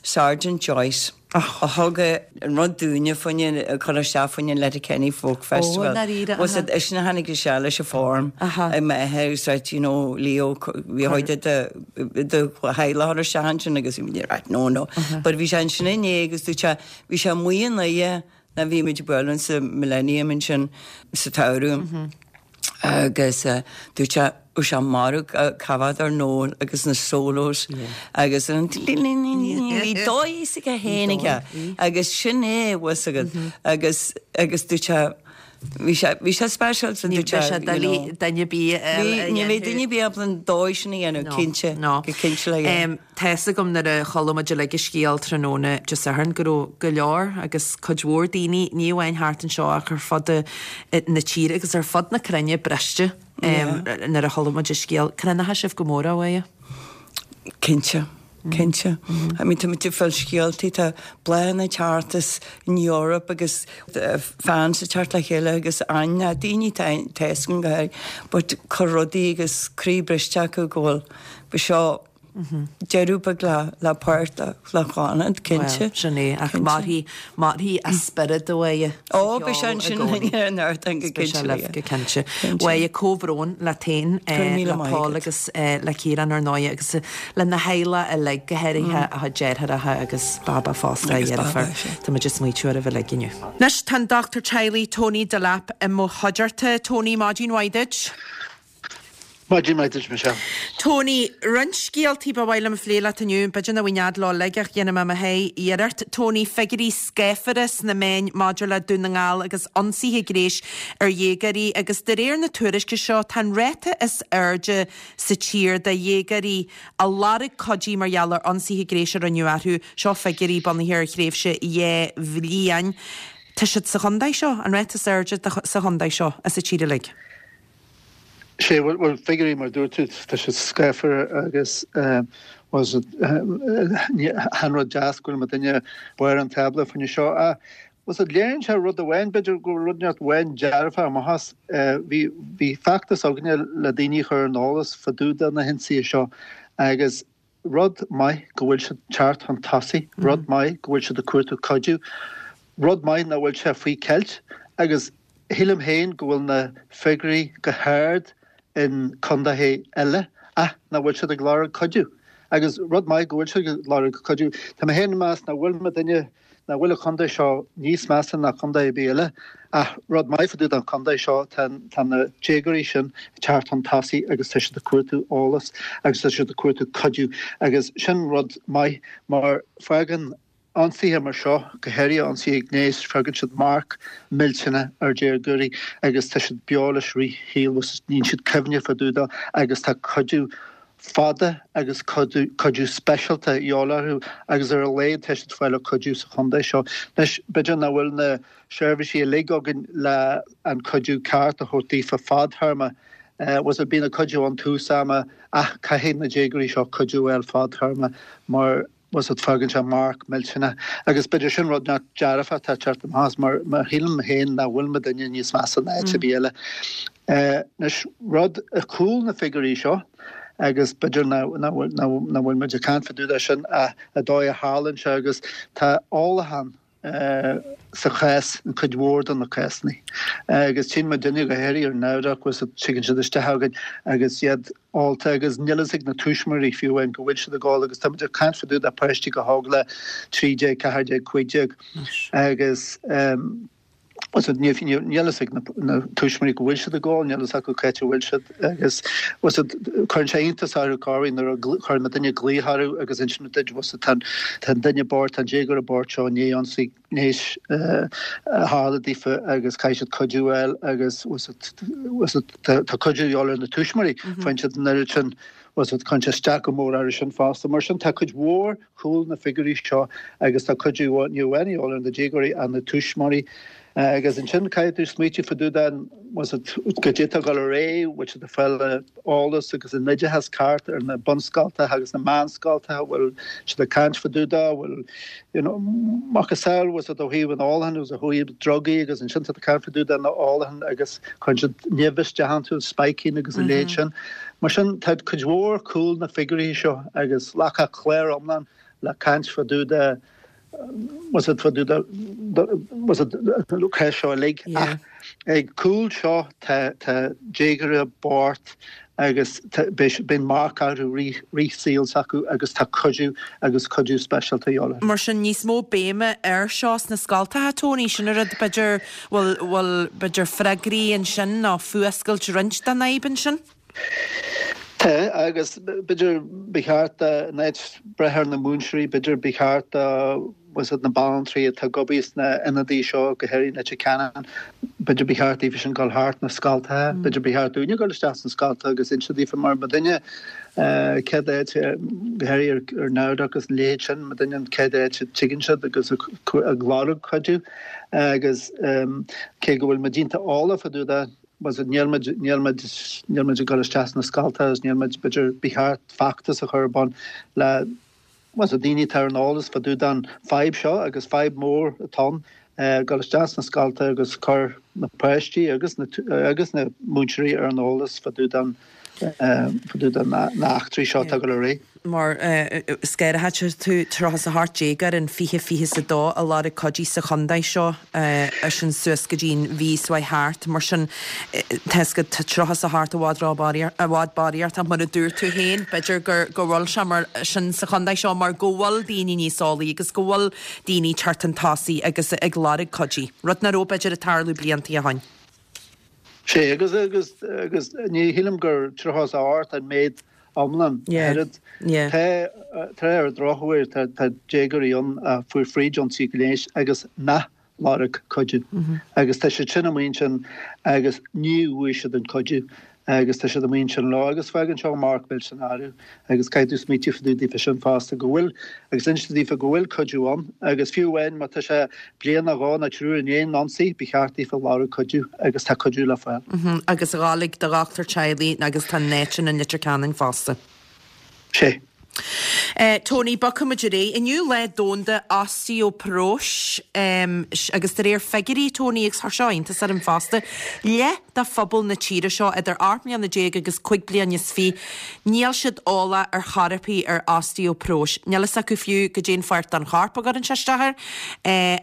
[SPEAKER 4] Sergeant Joyce, a thug an rud dúinne fá choinne, a chur isteach fá choinne an Letterkenny Folk Festival.
[SPEAKER 1] Ó, ndáiríre,
[SPEAKER 4] Bhfuil fhios agat, eisean a tháinig isteach leis an form
[SPEAKER 1] Aha.
[SPEAKER 4] i m'athair agus dúirt, you know, Leo, bhí a chuid de do theaghlach a chur isteach ansin agus bhí muid right, no, no. But bhí sé ansin inné agus dúirt sé, bhí sé amuigh i nDoire nuair bhí muid ag bualadh sa Millennium ansin sa tsamhradh agus dúirt sé bhí sé marbh cá bhfeadar Noel agus na solos agus an bhí dóigh s'aige féin aige agus sin é bhfuil fhios agat agus agus dúirt sé bhí sé bhí sé speisialta
[SPEAKER 1] Ní
[SPEAKER 4] dúirt sé
[SPEAKER 1] bheidh sé
[SPEAKER 4] you
[SPEAKER 1] doiligh
[SPEAKER 4] know.
[SPEAKER 1] duine ar bith eile a
[SPEAKER 4] Ní ní bheidh
[SPEAKER 1] dhéanamh.
[SPEAKER 4] duine ar bith ábalta an dóigh sin a dhéanamh
[SPEAKER 1] No,
[SPEAKER 4] cinnte
[SPEAKER 1] no.
[SPEAKER 4] go cinnte le
[SPEAKER 1] Em, Tá fhios agam nuair a chuala muid uilig an scéal tráthnóna Dé Sathairn go raibh go leor agus cuid mhór daoine, ní amháin thart anseo ach ar fud na tíre agus ar fud na cruinne briste nuair a chuala muid an scéal. Cronaithe sibh go mór, a Mháire?
[SPEAKER 4] Cinnte, cinnte. I mean tá muid ag fáil scéaltaí, tá bláthanna ag teacht as an Eoraip agus fans ag teacht le chéile agus aithne, daoine tá fhios againn go háirithe, but cur rudaí agus croí briste acu go bhfuil, b'seo deireadh beag le páirt le Clannad, cinnte.
[SPEAKER 1] Bhuel, sin é, ach mairfidh, mairfidh a spiorad a Mháire
[SPEAKER 4] sa Ó, beidh sé ansin linn ar an ardán go
[SPEAKER 1] Beidh sé
[SPEAKER 4] cinnte.
[SPEAKER 1] libh go cinnte. A Mháire, comhbhrón leat féin, le Paul agus le Ciarán ar ndóigh agus lena theaghlach uilig, go háirithe a chuid deartháireacha agus Baba fosta, a dheirfiúr. Tá muid ag smaoitiú oraibh uilig inniu. Anois tá an Dochtúir Teaghlaigh Tony Delap i mo chuideachta. Tony, maidin mhaith duit.
[SPEAKER 5] Maidin mhaith duit, Michelle.
[SPEAKER 1] Tony, roinnt scéaltaí ba mhaith liom a phlé leat inniu, b'fhéidir nach bhfuil nead leo uilig ach dhéanfaidh mé mo sháith iarracht. Tony, figiúirí scáfara sna meáin maidir le Dún na nGall agus ionsaithe gnéis ar dhéagóirí agus de réir na tuairisce seo tá an ráta is airde sa tír de dhéagóirí a lorg cuidiú mar gheall ar ionsaithe gnéis a rinneadh orthu, seo figiúirí bunaithe ar thréimhse 2 bhliain. Tá siad sa chontae seo, an ráta is airde sa chontae seo is sa tír uilig.
[SPEAKER 5] Sé, bhuel, figiúirí mar a dúirt tú, tá siad scáfar agus bhuel, ní haon rud deas go bhfuil muidinne barr an tábla fá choinne seo ach bhuel, léiríonn sé rud amháin, b'fhéidir go bhfuil rud inteacht amháin dearfach amach as. Bhí, bhí feachtas againne le daoine a chur ar an eolas fá dtaobh de na hionsaithe seo agus Rud maith go bhfuil siad teacht chun tosaigh, rud maith go bhfuil siad ag cuartú cuidiú, rud maith nach bhfuil sé faoi cheilt agus shílim féin go bhfuil na figiúirí go hard in contaetha eile ach nach bhfuil siad ag lorg cuidiú. Agus rud maith go bhfuil siad ag lorg cuidiú. Tá mé féin ag meas nach bhfuil muidinne nach bhfuil an chontae seo níos measa ná contae ar bith eile, ach rud maith fá dtaobh den chontae seo, tá tá na déagóirí sin ag teacht chun tosaigh agus tá siad ag cuartú eolas agus tá siad ag cuartú cuidiú agus sin rud maith mar fágann ionsaithe mar seo, go háirithe ionsaithe gnéis, fágann siad marc millteanach ar déagóirí agus tá siad beo leis rith a saoil agus níonn siad cuimhne fá dtaobh dó agus tá cuidiú fada agus cuidiú speisialta a dhíobháil orthu agus ar a laghad tá siad ag fáil cuidiú sa chontae seo. Anois, b'fhéidir nach bhfuil na seirbhísí uilig againn le an cuidiú ceart a thabhairt daofa fadthéarma. Bhuel, bíonn an cuidiú ann tús ama ach caithfidh na déagóirí seo cuidiú a fháil fadthéarma mar bhuel, fágann sé marc millteanach agus b'fhéidir sin rud nach dearfach atá ag teacht amach as mar mar shílim féin nach bhfuil muidinne níos measa ná áit ar bith eile. Anois rud ar chúl na figiúirí seo agus b'fhéidir nach nach bhfuil nach bhfuil muid ag caint fá dtaobh de sin ach an dóigh a tharlaíonn sé agus tá ólachán sa chás in cuid mhór de na cásanna agus tchíonn muidinne go háirithe ar an Eamhrach agus tigeann siad isteach againn agus iad. ólta agus níl fhios ag na tuismitheoirí fiú amháin go bhfuil siad ag ól agus tá muid ag caint fá dtaobh de páistí chomh hóg le 13, 14, 15 agus níl fhios ag na tuismitheoirí go bhfuil siad ag ól, níl fhios acu cá háit a bhfuil siad agus cuireann sé iontas orthu corruair nuair a chuireann duine glaoch orthu agus insíonn duit tá an duine bocht, tá an déagóir bocht seo i ndiaidh ionsaí gnéis a tharla daofa agus caithfidh siad cuidiú a fháil agus tá cuidiú de dhíobháil ar na tuismitheoirí, faigheann siad an oiread sin, cuireann sé isteach go mór orthu sin fosta. Mar sin tá cuid mhór cúl na figiúirí seo agus tá cuidiú ní amháin de dhíobháil ar na déagóirí ach na tuismitheoirí agus ansin caithfidh tú smaoitiú fá dtaobh den goidé atá ag dul ar aghaidh, bhfuil siad ag fáil eolas agus an oideachas ceart ar na bunscoltacha agus na meánscoltacha, bhfuil siad ag caint fá dtaobh de, bhfuil you know macasamhail, bhfuil siad ó thaobh an ólacháin agus ó thaobh drugaí agus ansin tá ag caint fá dtaobh de na ólacháin agus cuireann siad nimh isteach iontu, spiking agus a leithéid sin. Mar sin tá cuid mhór cúl na figiúirí seo agus ghlacfadh clár iomlán le caint fá dtaobh de bhfuil fá dtaobh de bhfuil an seo uilig ach ag cúl seo tá tá déagóirí bocht agus bíonn marc orthu rith saoil s'acu agus tá cuidiú agus cuidiú speisialta de dhíobháil orthu.
[SPEAKER 1] Mar sin níos mó béime air seo sna scoltacha, Tony, sin an rud b'fhéidir, bhfuil, bhfuil b'fhéidir freagraí ansin nó fuascailt roinnt den fhadhb ansin?
[SPEAKER 5] Tá, agus b'fhéidir ba cheart in áit breith ar na múinteoirí, b'fhéidir ba cheart do bhfuil fhios agat na banaltraí atá ag obair sna ionadaí seo, go háirithe in Leitir Ceanainn, b'fhéidir ba cheart daofa sin dul thart na scoltacha, b'fhéidir ba cheart dúinne dul isteach sna scoltacha agus inse daofa mar muidinne céad áit, go háirithe ar nowdoc agus a leithéid sin, muidinne an chéad áit a dtigeann siad agus ag lorg cuidiú agus cé go bhfuil muid iontach eolach fá dtaobh de, bhfuil fhios agat, níl muid, níl muid, níl muid ag dul isteach sna scoltacha agus níl muid, b'fhéidir, ba cheart feachtas a chur ar bun le, bhfuil fhios agat, daoine atá ar an eolas fá dtaobh den fadhb seo agus fadhb mór atá ann, dul isteach sna scoltacha agus cur na páistí agus na, agus na múinteoirí ar an eolas fá dtaobh den, fá dtaobh de na eachtraí seo atá ag dul ar aghaidh.
[SPEAKER 1] Mar scéaraithe tú 38 déagóir in 2022 a lorg cuidiú sa chontae seo, sin suas go dtí an mhí seo thart. Mar sin, tá 'fhios agat, tá 38 i bhfad i bhfad barraíocht ach mar a dúirt tú féin, b'fhéidir gur go bhfuil sé mar sin sa chontae seo mar go bhfuil daoine níos eolaí agus go bhfuil daoine ag teacht chun tosaigh agus ag lorg cuidiú, rud nach raibh b'fhéidir ag tarlú bliantaí ó shoin.
[SPEAKER 5] Sea, agus, agus, agus ní shílim gur 38 an méid iomlán. Oiread. Tá, tá ar an drochuair, tá, tá déagóirí ann a fuair fríd ionsaí gnéis agus nach lorg cuidiú. Agus tá siad sin amuigh ansin agus ní bhfuair siad an cuidiú agus tá siad amuigh ansin leo agus fágann seo marc millteanach orthu agus caithfidh tú smaoitiú fá dtaobh daofa sin fosta go bhfuil agus inse daofa go bhfuil cuidiú ann agus fiú amháin má tá sé bliain nó dhó nó triúr i ndiaidh an ionsaí ba cheart daofa lorg cuidiú agus tá cuidiú le fáil.
[SPEAKER 1] Agus a ghabháil ag do dhochtúir teaghlaigh agus tá an áit sin in Leitir Ceanainn fosta.
[SPEAKER 5] Sé.
[SPEAKER 1] Tony, bogfaidh muid ar aghaidh. Inniu Lá Domhanda Osteoparóis agus de réir figiúirí, Tony, agus chuir seo iontas orm fosta, leath de phobal na tíre seo idir 18 mbliana agus 25 bliana, níl siad eolach ar chor ar bith ar osteoparóis. Níl fhios acu fiú goidé an pháirt den chorp a gcuireann sé isteach air.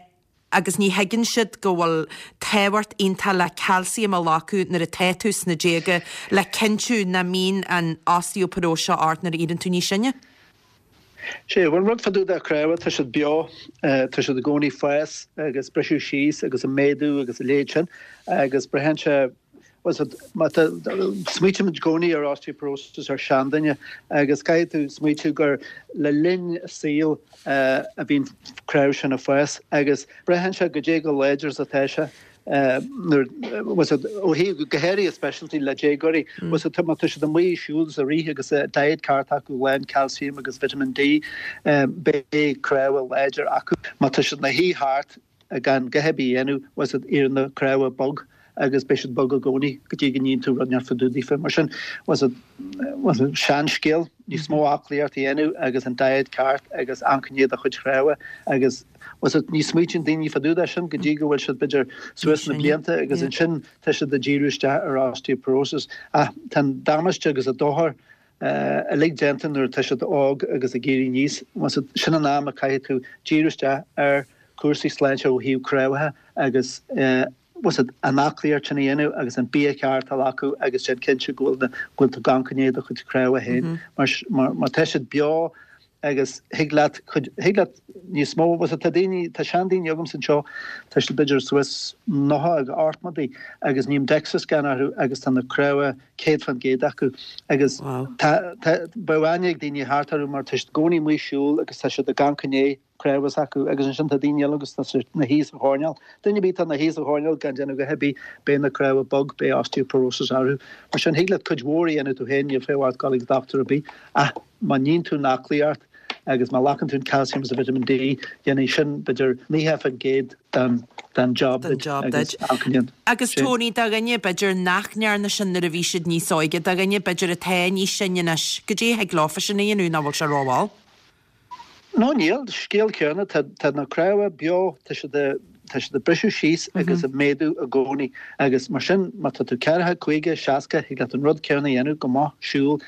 [SPEAKER 1] Agus ní thuigeann siad go bhfuil tábhacht iontach le calcium a ghlacadh nuair atá tú sna déaga le cinntiú nach mbíonn an osteoparóis seo ort nuair a éiríonn tú níos sine.
[SPEAKER 5] Sé, bhuel, rud fá dtaobh de chnámha, tá siad beo, tá siad i gcónaí fás agus briseadh síos agus ag méadú agus a leithéid sin agus braitheann sé, bhuel, má tá, smaoitímid i gcónaí ar osteoporosis ar seanduine agus caithfidh tú smaoitiú gur le linn saoil a bhíonn cnámh sin ag fás agus braitheann sé goidé chomh láidir is atá sé nuair, bhfuil fhios agat, ó thaobh, go háirithe speisialta le déagóirí, bhfuil fhios agat, má tá siad amuigh ag siúl is ag rith agus diet ceart acu lán calcium agus vitamin D, beidh cnámha láidir acu. Má tá siad ina shuí thart gan a dhath ar bith a dhéanamh, bhfuil fhios agat, éiríonn na cnámha bog agus beidh siad bog i gcónaí go dtí go ndéanann tú rud inteacht fá dtaobh daofa. Mar sin, bhfuil fhios agat, bhfuil fhios agat, seanscéal, níos mó aclaíocht a dhéanamh agus an diet ceart agus amharc i ndiaidh do chuid chnámha agus bhfuil fhios agat, ní smaoitíonn daoine fá dtaobh de sin go dtí go bhfuil siad b'fhéidir suas sna blianta agus ansin tá siad ag díriú isteach ar osteoporosis. Ach tá an damáiste agus an dochar uilig déanta nuair atá siad óg agus ag éirí aníos. Bhfuil fhios agat, sin an am a caithfidh tú díriú isteach ar chúrsaí sláinte ó thaobh cnámha agus. Bhfuil 's a'd, an aclaíocht sin a dhéanamh agus an bia ceart a ghlacadh agus déan cinnte go bhfuil na, go bhfuil tú ag amharc i ndiaidh do chuid cnámha féin mar, mar, mar tá siad beo agus thig leat cuid, thig leat níos mó, bhfuil 's a'd, tá daoine, tá seandaoine agamsa anseo, tá siad b'fhéidir suas 90 agus ochtmadaí agus ním DEXA scan orthu agus tá na cnámha 100% acu agus tá, tá, bheadh aithne ag daoine thart orthu mar tá siad i gcónaí amuigh ag siúl agus tá siad ag amharc i ndiaidh cnámha s'acu agus ansin tá daoine eile agus tá siad ina shuí sa choirnéal. Duine ar bith atá ina shuí sa choirnéal gan déanamh a dhath ar bith, beidh na cnámha bog, beidh osteoporosis orthu. Mar sin, thig leat cuid mhór a dhéanamh tú féin, níl feidhm ort dul ag dochtúir ar bith ach má níonn tú an aclaíocht agus má ghlacann tú an calcium agus an vitamin D, dhéanfaidh sin b'fhéidir 90% den den job
[SPEAKER 1] duit agus alcainient. Agus Tony, do dhuine b'fhéidir nach ndearna sin nuair a bhí siad níos óige, do dhuine b'fhéidir atá níos sine anois, goidé a thig leofa sin a dhéanamh nach bhfuil sé rómhall?
[SPEAKER 5] No níl, scéal céanna, tá tá na cnámha beo, tá siad a tá siad ag briseadh síos agus ag méadú i gcónaí agus mar sin má tá tú ceathracha, 50, 60 thig leat an rud céanna a dhéanamh, go maith, siúl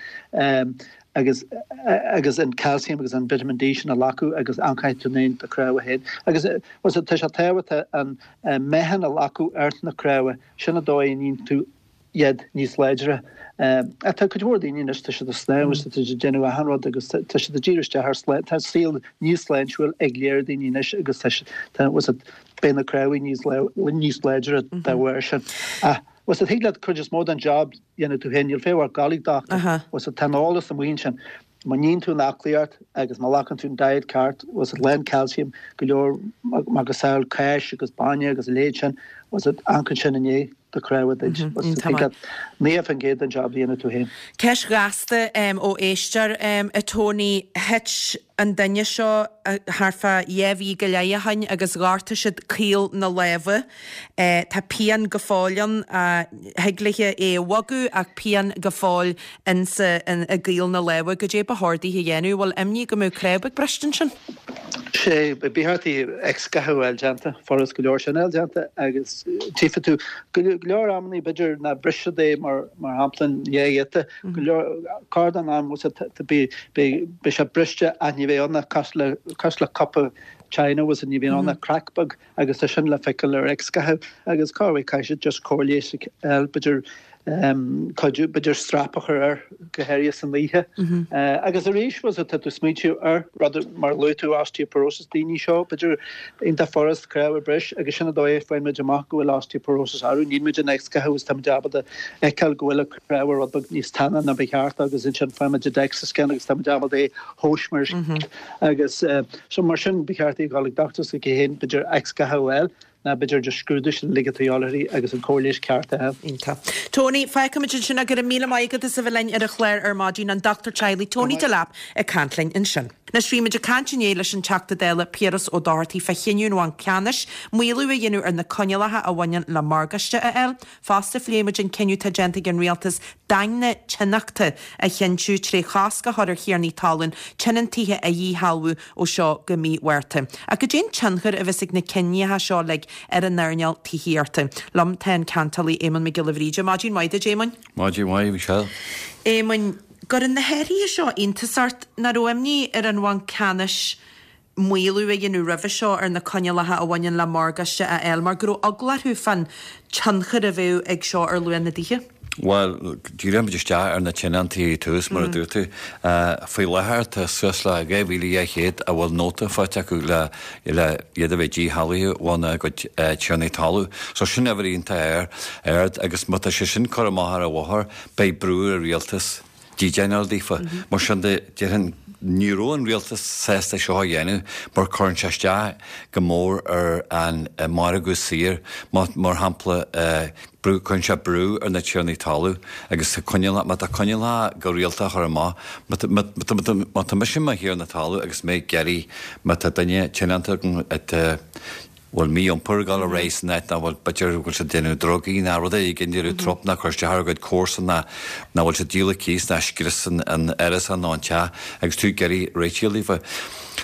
[SPEAKER 5] agus agus an calcium agus an vitamin D sin a ghlacadh agus amharcfaidh tú i ndiaidh do chnámha féin. Agus bhuel tá sé tábhachtach an meáchan a ghlacadh ar na cnámha, sin an dóigh a níonn tú iad níos láidre. Ach tá cuid mhór daoine anois, tá siad ag snámh agus tá siad ag déanamh achan rud agus tá siad ag díriú isteach ar sláinte, tá saol níos sláintiúil ag léir daoine anois agus tá tá bhfuil 's a'd, beidh na cnámha níos níos láidre dá bharr sin. Ach bhfuil 's a'd, thig leat cuid is mó den job dhéanamh tú féin, níl feidhm ort gabháil ag dochtúir, bhfuil 's a'd, tá an eolas amuigh ansin. Má níonn tú an aclaíocht agus má ghlacann tú an diet ceart, bhfuil 's a'd, lán calcium, go leor macasamhail cáis agus bainne agus a leithéid sin, bhfuil 's a'd, amharcann sin i ndiaidh do chnámha duit. Bhfuil 's a'd, thig leat 90% den job a dhéanamh tú féin.
[SPEAKER 1] Ceist ghasta ó éisteoir, a Tony, thit an duine seo thart fá dhá mhí go leith ó shin agus ghortaigh siad caol na láimhe. Tá pian go fóill ann. Thig léithe é a bhogadh ach pian go fóill insa, i gcaol na láimhe. Goidé ba chóir dithe a dhéanamh? Bhfuil imní go mbeadh cnámh beag briste ansin?
[SPEAKER 5] Sé, ba cheart di x-gha a fháil déanta, furast go leor sin a fháil déanta agus tchífidh tú go leor amannaí b'fhéidir ná brisfead é mar mar shampla in dhá ghiota, go leor, corr den am beidh beidh sé briste ach ní bheidh ann ach cosúil le cosúil le cupa china bhfuil 's a'd ní bhíonn ann ach crack beag. agus tá sin le feiceáil ar X-gha agus cá bhfuil caithfidh siad just cóir leighis a fháil, b'fhéidir cuidiú, b'fhéidir strap a chur air go háirithe san oíche. Agus arís, bhfuil 's a'd, tá tú smaointiú ar rud mar luaigh tú osteoporosis daoine seo, b'fhéidir iontach furast cnámh a bhris agus sin an dóigh a faigheann muid amach go bhfuil osteoporosis orthu, níonn muid an X-gha agus tá muid ábalta fheiceáil go bhfuil an cnámh rud beag níos teanna ná ba cheart agus ansin faigheann muid an DEXA scan agus tá muid ábalta é a thomhas mar Agus so mar sin ba cheart í a dhul ag dochtúir s'aici féin, b'fhéidir X-gha a fháil ná b'fhéidir just scrúdú sin uilig atá a dhíobháil uirthi agus an cóir leighis ceart a fháil.
[SPEAKER 1] Iontach. Tony, fágfaimid ansin é. Go raibh míle maith agat as a bheith linn ar an chlár ar maidin. An dochtúir teaghlaigh Tony Delap ag caint linn ansin. Anois bhí muid ag caint inné leis an Teachta Dála Piaras Ó Dochartaigh fá chinneadh an Bhainc Ceannais maolú a dhéanamh ar na coinníollacha a bhaineann le morgáiste a fháil. Fosta phléigh muid an cinneadh atá déanta ag an Rialtas daingne tionachta a chinntiú tré chosc a chur ar thiarnaí talún tionóntaithe a dhíshealbhú ó seo go mí Mhárta. Ach goidé an tionchar a bheas ag na cinntí seo uilig ar an earnáil tithíochta? Liom tá an ceantálaí Éamonn Mac Giolla Bhríde. Maidin mhaith duit, Éamoinn.
[SPEAKER 6] Maidin mhaith, Michelle.
[SPEAKER 1] Éamoinn, gcuireann na hathruithe seo iontas ort? Nach raibh imní ar an Bhanc Ceannais maolú a dhéanamh roimhe seo ar na coinníollacha a bhaineann le morgáiste a fháil mar go raibh eagla orthu fán tionchar a bheadh ag seo ar luach na dtithe.
[SPEAKER 6] Bhuel, díreoimid isteach ar na tionóntaí i dtús, mar a dúirt tú. Faoi láthair tá suas le 2,200 a bhfuil nóta faighte acu le le iad a bheith díshealbhaithe óna gcuid tiarnaí talún. So sin uimhir iontach ard agus má tá sé sin curtha amach ar an bhóthar beidh brú ar an rialtas dídean a fháil daofa. Mar sin de, déarfainn, ní raibh an rialtas sásta seo a dhéanamh mar cuireann sé isteach go mór ar an margadh saor. Mar shampla, brú, cuireann sé brú ar na tiarnaí talún agus coinníollacha, má tá coinníollacha go rialta á chur amach, má má tá mise i mo thiarna talún agus mé ag iarraidh, má tá duine tionónta agam atá, bhfuil mí-iompar ag dul ar aghaidh san áit, ná bhfuil, b'fhéidir go bhfuil siad ag déanamh drugaí ná rud éigin, déanamh trup ná cur isteach ar a gcuid comharsan ná ná bhfuil siad ag díol cíos ná scrios an árasán nó an teach agus tú ag iarraidh réitigh daofa.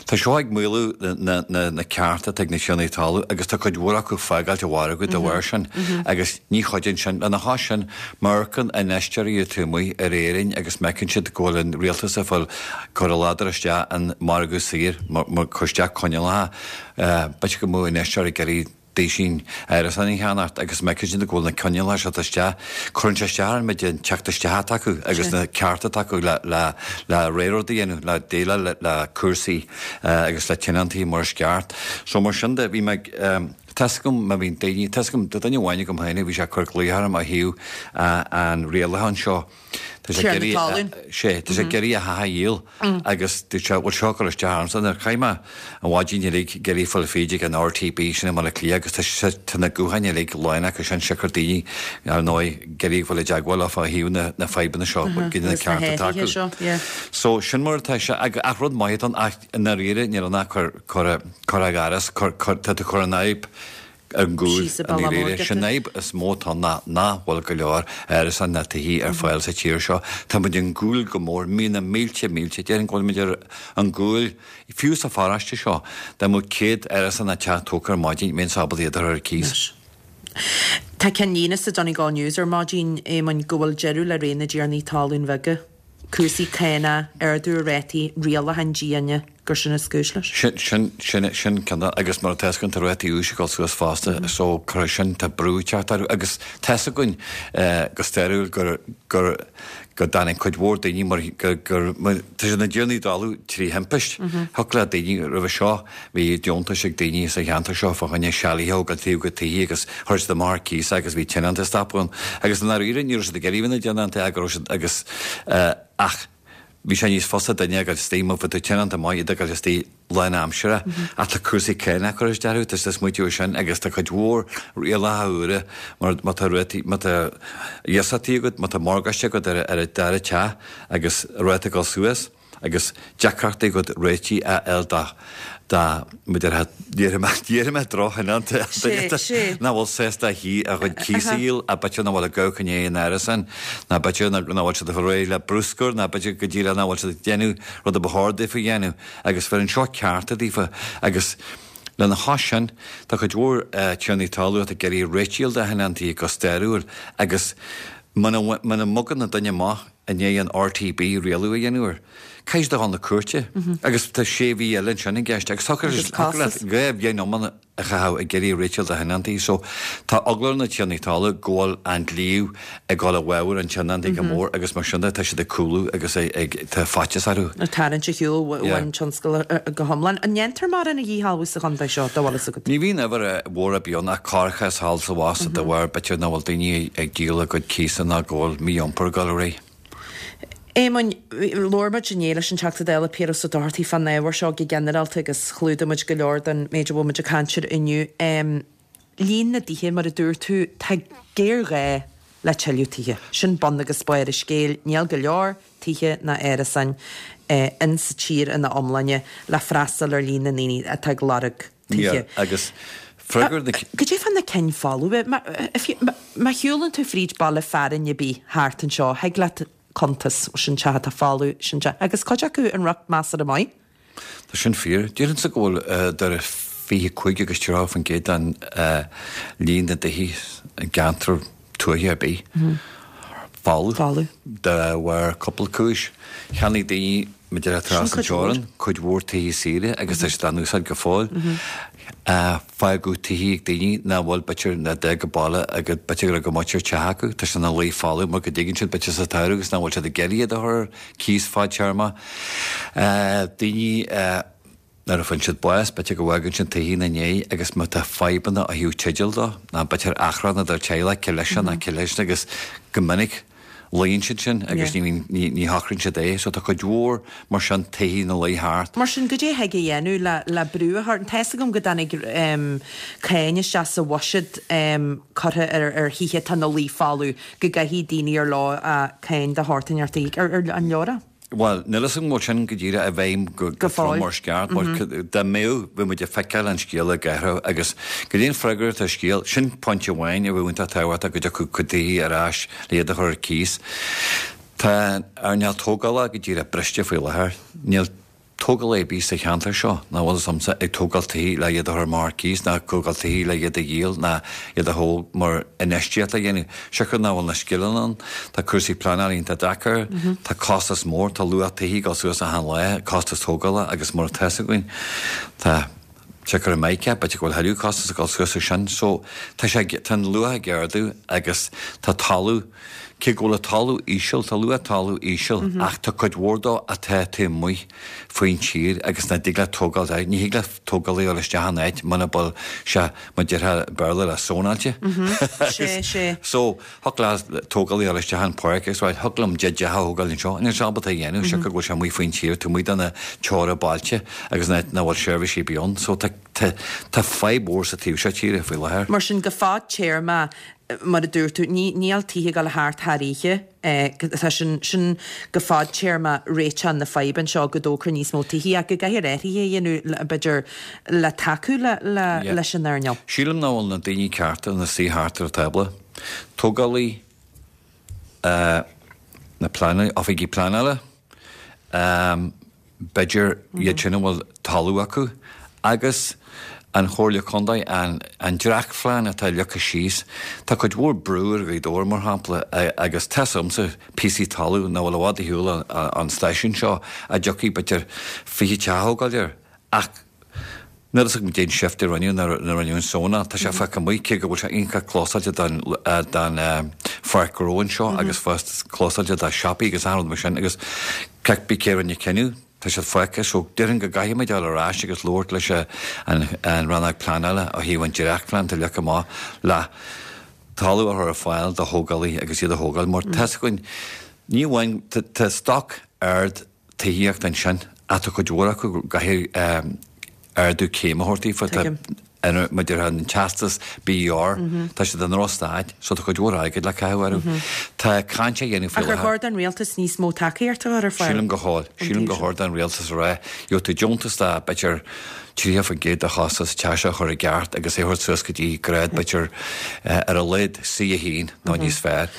[SPEAKER 6] Tá seo ag maolú na na na cearta atá ag na tiarnaí talún agus tá cuid mhór acu fágáilt an mhargaidh dá bharr sin agus ní chuidíonn sin. Lena chois sin, má amharcann infheisteoirí atá amuigh ar Éirinn agus má fheiceann siad go bhfuil an rialtas ag fáil cur a ladar isteach an margadh saor, mar cur isteach coinníollacha, B'fhéidir go mbeadh infheisteoirí ag iarraidh. duaisín árasán a cheannacht agus má fheiceann siad go bhfuil na coinníollacha seo isteach, cuireann sé isteach ar an méid den teacht isteach atá acu agus na cearta atá acu le le le rud a dhéanamh, le déileáil le cúrsaí agus le tionóntaí mar is ceart. So mar sin de, bhí mé ag, tá 'fhios agam má bhíonn daoine, tá 'fhios agam, tá duine amháin agam féin a bhí sé ag cur glaoch orm ó thaobh an rialacháin seo, Tá sé ag iarraidh, sé, tá sé ag iarraidh a theach a dhíol agus dúirt sé, bhfuil seo ag cur isteach ormsa. Nuair chaith mé an mhaidin uilig ag iarraidh fáil fríd ag an RTB sin i mBaile Átha Cliath agus tá sé, tá na gutháin uilig lán acu sin siocair daoine, ar ndóigh, ag iarraidh fáil i dteagmháil leo fá thaobh na, na fadhbanna seo, goidé na cearta atá acu. So, sin mar atá sé, ach rud maith atá ann ach i ndáiríre níl ann ach cur, cur, cur i gcarghas, cur, cur, tá tú ag cur an fhadhb ar an gcúl i ndáiríre. Sin an fhadhb is mó atá ann ná nach bhfuil go leor árasán ná tithe ar fáil sa tír seo. Tá muid ar an gcúl go mór, bíonn na mílte, mílte, déarfainn go bhfuil muid ar an gcúl, fiú sa pharóiste seo, dá mbeadh 100 árasán ná teach tógtha ar maidin, bheinnse ábalta iad a chur ar cíos.
[SPEAKER 1] Tá ceannlíne sa Donegal News ar maidin, Éamoinn, go bhfuil deireadh le ré na dtiarnaí talún bheaga. Cúrsaí cánach, ardú ar rátaí, rialacháin diana, gur sin is cúis leis.
[SPEAKER 6] Sin, sin, sin, sin ceann de, agus mar atá 'fhios againn tá rátaí úis ag dul suas fosta so cuirfidh sin, tá brú ag teacht orthu agus tá 'fhios againn go stairiúil gur, gur, go dtáinig cuid mhór daoine mar, gur, gur, tá siad ina dtiarnaí talún trí thimpist. Thiocfadh le daoine roimhe seo, bhí deontais ag daoine sa cheantar seo fá choinne sealadh a thógáil taobh de tithe agus chuir siad amach ar cíos agus bhí tionónta ag stopadh ann agus i ndáiríre ní raibh siad ag iarraidh bheith ina dtionónta ach go raibh siad agus ach bhí sé níos fusa duine a ghoil istigh má bhí tú tionónta maith iad a ghoil istigh lánaimseartha ach tá cúrsaí cánach curtha isteach orthu tá siad ag smaoitiú ar sin agus tá cuid mhór rialacha úra mar má tá rátaí má tá iasachtaí agat má tá morgáiste agat ar ar an dara teach agus ráta ag dul suas. agus deacrachtaí agat réitigh a fháil do do b'fhéidir déarfaidh mé déarfaidh mé drochthionónta duine Sé, sé. nach bhfuil sásta a thí a chuid cíos a dhíol ach b'fhéidir nach bhfuil ag gabháil chun an árasán ná b'fhéidir nach bhfuil siad ag fáil réidh le bruscar ná b'fhéidir go díreach nach bhfuil siad ag déanamh rud a ba chóir daofa a dhéanamh agus bheireann seo cearta daofa agus lena chois sin tá cuid mhór tiarnaí talún atá ag iarraidh réitigh a fháil do thionóntaí go stairiúil agus muna muna mbogann an duine amach i ndiaidh an RTB rialú a dhéanamh air. Caithfidh siad a dhul na cúirte agus tá sé mhí eile ansin i gceist agus thiocfadh leat 2 bhliain iomlán a chaitheamh ag iarraidh réiteach do thionóntaí so tá eagla ar na tiarnaí talún go bhfuil an dlí ag dul i bhfabhar an tionóntaí go mór agus mar sin de tá siad ag cúlú agus ag tá faitíos orthu.
[SPEAKER 1] Ag tarraingt ar shiúl ón tionscal go hiomlán. An ndéantar mórán a dhíshealbhú sa chontae seo, dá bhfuil fhios agat?
[SPEAKER 6] Ní bhíonn uimhir mhór ar bith ann ach corrchás thall is abhus de bharr b'fhéidir nach bhfuil daoine ag díol a gcuid cíosa ná go bhfuil mí-iompar ag dul ar aghaidh.
[SPEAKER 1] Éamoinn, labhair muid inné leis an Teachta Dála Piaras Ó Dochartaigh fán ábhar seo go ginearálta agus chlúdaigh muid go leor den méid a bhfuil muid ag caint air inniu. Líon na dtithe, mar a dúirt tú, tá géarghá le tuilleadh tithe. Sin bun agus barr an scéil. Níl go leor tithe ná árasáin in sa tír ina iomláine le freastal ar líon na ndaoine atá ag lorg tithe.
[SPEAKER 6] Agus freagair
[SPEAKER 1] na. Cad é fá na cinn folamh? Má shiúlann tú fríd baile fearainn ar bith thart anseo, thig leat cuntas, sin teach atá folamh, sin teach, agus cuid acu in riocht measartha maith.
[SPEAKER 6] Tá sin fíor. Déarfainnse go bhfuil idir 25 agus 30% den líon na dtithe i gceantar tuaithe ar bith folamh de bharr cúpla cúis. Cheannaigh daoine, mar a déarfá trasna an teorainn, cuid mhór tithe saoire agus tá siad á n-úsáid go fóill. Fágadh tithe ag daoine nach bhfuil b'fhéidir ná d'fhág an baile agus b'fhéidir go raibh go muintir teach acu. Tá siad ina luí folamh mar go dtuigeann siad b'fhéidir sa tsamhradh agus nach bhfuil siad ag iarraidh iad a chur ar cíos fadtéarma. Daoine nuair a faigheann siad bás, b'fhéidir go bhfágann siad tithe ina ndiaidh agus má tá fadhbanna ó thaobh teideal dó, ná b'fhéidir achrann idir teaghlach, cé leis seo ná cé leis sin agus go minic luíonn siad sin agus ní bhíonn, ní, ní shocraíonn siad é. So tá cuid mhór mar sin tithe ina luí thart.
[SPEAKER 1] Mar sin, goidé a thig a dhéanamh le, le brú a chur, tá fhios agam go dtáinig cáin isteach sa bhuiséad curtha ar, ar thithe atá ina luí folamh, go gcaithfidh daoine ar leo cáin de shórt inteacht a íoc. Ar, ar, an leor é?
[SPEAKER 6] Bhuel, níl fhios agam an bhfuil sin go díreach i bhfeidhm go trom mar is ceart, mar dá mbeadh, bheadh muid ag feiceáil an scéal ag athrú agus goidé an freagra atá ar scéal, sin pointe amháin a bheadh iontach tábhachtach go dtiocfadh cuid tithe ar ais le iad a chur ar cíos. Tá an earnáil tógála go díreach briste faoi láthair. Níl. Tógálaí ar bith sa cheantar seo, nach bhfuil fhios a'msa, ag tógáil tithe le iad a chur amach ar cíos, ná ag tógáil tithe le iad a dhíol, ná iad a thóg mar infheistíocht le dhéanamh. Siocair nach bhfuil na scileanna ann, tá cúrsaí pleanála iontach deacair, tá costas mór, tá luach tithe ag dul suas achan lá, costas tógála agus mar atá fhios againn, tá. Siocair i Meiriceá, b'fhéidir go bhfuil thuilleadh costas ag dul suas ar sin. So, tá sé, tá an luach ag ardú agus tá talamh, cé go bhfuil an talamh íseal, tá luach talamh íseal ach tá cuid mhór dó atá taobh amuigh faoin tír agus nach dtig leat tógáil air. Ní thig le tógálaí dul isteach in áit muna bhfuil sé, mar déarfá i Béarla, le sónáilte.
[SPEAKER 1] Sé, sé.
[SPEAKER 6] So, Thiocfadh le tógálaí a dhul isteach an pháirc agus rá thiocfadh liom teach a thógáil anseo. Níl sé ábalta a dhéanamh siocair go bhfuil sé amuigh faoin tír, taobh amuigh de na teora bailte agus nach bhfuil seirbhísí ar bith ann. So tá tá fadhb mhór sa taobh seo tíre faoi láthair.
[SPEAKER 1] Mar sin go fadtéarma, mar a dúirt tú, ní níl tithe ag dul thart thar oíche. Tá sin sin go fadtéarma réiteach na faidhbe anseo go dtógfar níos mó tithe ach go gcaithfear athruithe a dhéanamh b'fhéidir le tacú le le leis an earnáil.
[SPEAKER 6] Sílim nach bhfuil na daoine cearta ina suí thart ar an tábla. Tógálaí, na pleanálaí, oifigigh pleanála, b'fhéidir iad sin a bhfuil talamh acu, agus an Chomhairle Contae, an dréachtphlean atá leagtha síos. Tá cuid mhór brú ar Ghaoth Dobhair, mar shampla, agus tá's agamsa píosaí talaimh nach bhfuil i bhfad ar shiúl ón stáisiún seo a dtiocfaidh b'fhéidir 20 teach a thógáil air, ach Níl a fhios agam cén shift a rinneadh nuair a rinneadh an zónáil. Tá sé fágtha amuigh, cé go bhfuil sé iontach clósáilte don don pháirc ghnó anseo agus fós clósáilte do siopaí agus achan rud mar sin agus cibé cé a rinne an cinneadh, tá siad fágtha. So déarfainn go gcaithfidh muid dul ar ais agus labhairt leis an an rannóg pleanála ó thaobh an dréachtphlean atá leagtha amach le talamh a chur ar fáil do thógálaithe agus iad a thógáil mar tá's againn ní amháin tá stoc ard tithíocht ansin ach tá cuid mhór acu go gcaithfidh ardú céime a thabhairt daofa. Tá mar a déarfá an teastas BER, tá siad i ndrochstaid so tá cuid mhór airgid le caitheamh orthu. Tá caint á dhéanamh
[SPEAKER 1] faoi láthair. Ach ar chóir don rialtas níos mó tacaíocht a chur ar fáil?
[SPEAKER 6] Sílim gur chóir. Sílim gur chóir don rialtas a rá, gheobhaidh tú deontas de b'fhéidir 30% de chostas teach a chur i gceart agus é a thabhairt suas go dtí grád b'fhéidir ar a laghad C1 nó níos fearr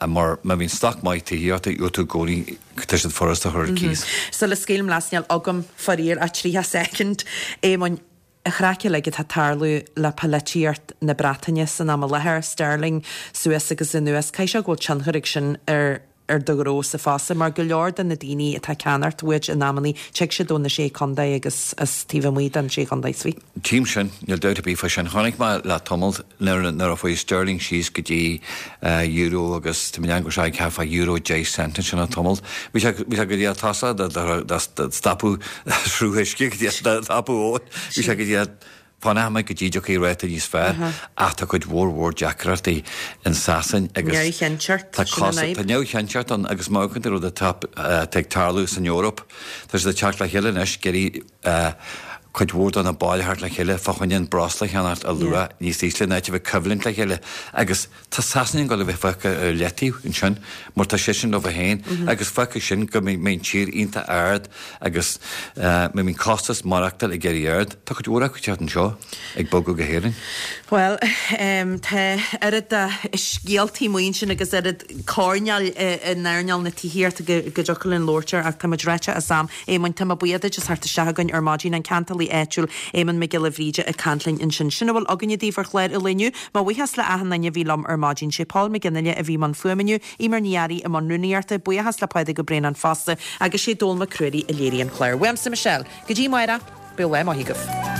[SPEAKER 6] mar má bhíonn stoc maith tithíochta gheobhaidh tú i gcónaí Tá siad furasta a chur ar cíos.
[SPEAKER 1] Sula scaoilim leat, níl agam, faraor, ach 30 soicind. Éamoinn, an chraic uilig atá ag tarlú le polaitíocht na Breataine san am i láthair, sterling suas agus anuas, caithfidh sé go bhfuil tionchar ag sin ar ar do ghnósa fosta, mar go leor de na daoine atá ag ceannacht uait in amannaí, tig siad ó na Sé Chontae agus as taobh amuigh den Sé Chontae. Sweet.
[SPEAKER 6] Tchím sin, níl dabht ar bith fá sin. Chonaic mé le tamall nuair nuair a chuaigh sterling síos go dtí euro agus tá mé ag déanamh go raibh sé thart fá euro 10 cent ansin le tamall. Bhí sé bhí sé go dtí a tosach do stopadh sruth uisce go dtí a stopadh abhainn. Bhí sé go dtí a fanfaidh mé go dtí dtiocfaidh ráta níos fearr ach tá cuid mhór mhór deacrachtaí in Sasain agus
[SPEAKER 1] Neamhchinnteacht,
[SPEAKER 6] tá sin an fhadhb. Tá neamhchinnteacht ann agus má amharcann tú ar rud atá ag tarlú san Eoraip, tá siad ag teacht le chéile anois, ag iarraidh cuid mhór de na baill a theacht le chéile fá choinne an breosla a cheannacht ar luach níos ísle in áit a bheith ag coimhlint le chéile agus tá Sasana ag dul a bheith fágtha ar leataobh ansin mar tá seisean leo féin agus fágfaidh sin go mbeidh an tír iontach ard agus mbeidh an costas maireachtáil ag éirí ard. Tá cuid mhór acu ag teacht anseo ag bogadh go hÉirinn.
[SPEAKER 1] Bhuel, tá oiread de scéaltaí amuigh ansin agus oiread coirnéil in earnáil na tithíochta go dtiocfadh linn labhairt air ach tá muid ráite as am. Éamoinn, tá mé buíoch duit as theacht isteach chugainn ar maidin, an ceantálaí áitiúil Éamonn Mac Giolla Bhríde ag caint linn ansin. Sin a bhfuil againne daoibh ar chlár an lae inniu. Mo bhuíochas le achan duine a bhí liom ar maidin. Sé Paul McGinley a bhí i mbun fuaime inniu, Eimear Ní Fhearraigh i mbun rúnaíochta, buíochas le Pádraig Ó Braonáin fosta agus sé Dónall Mac Ruairí a léirigh an clár. Uaimse Michelle, go dtí amárach, bíodh lá maith agaibh.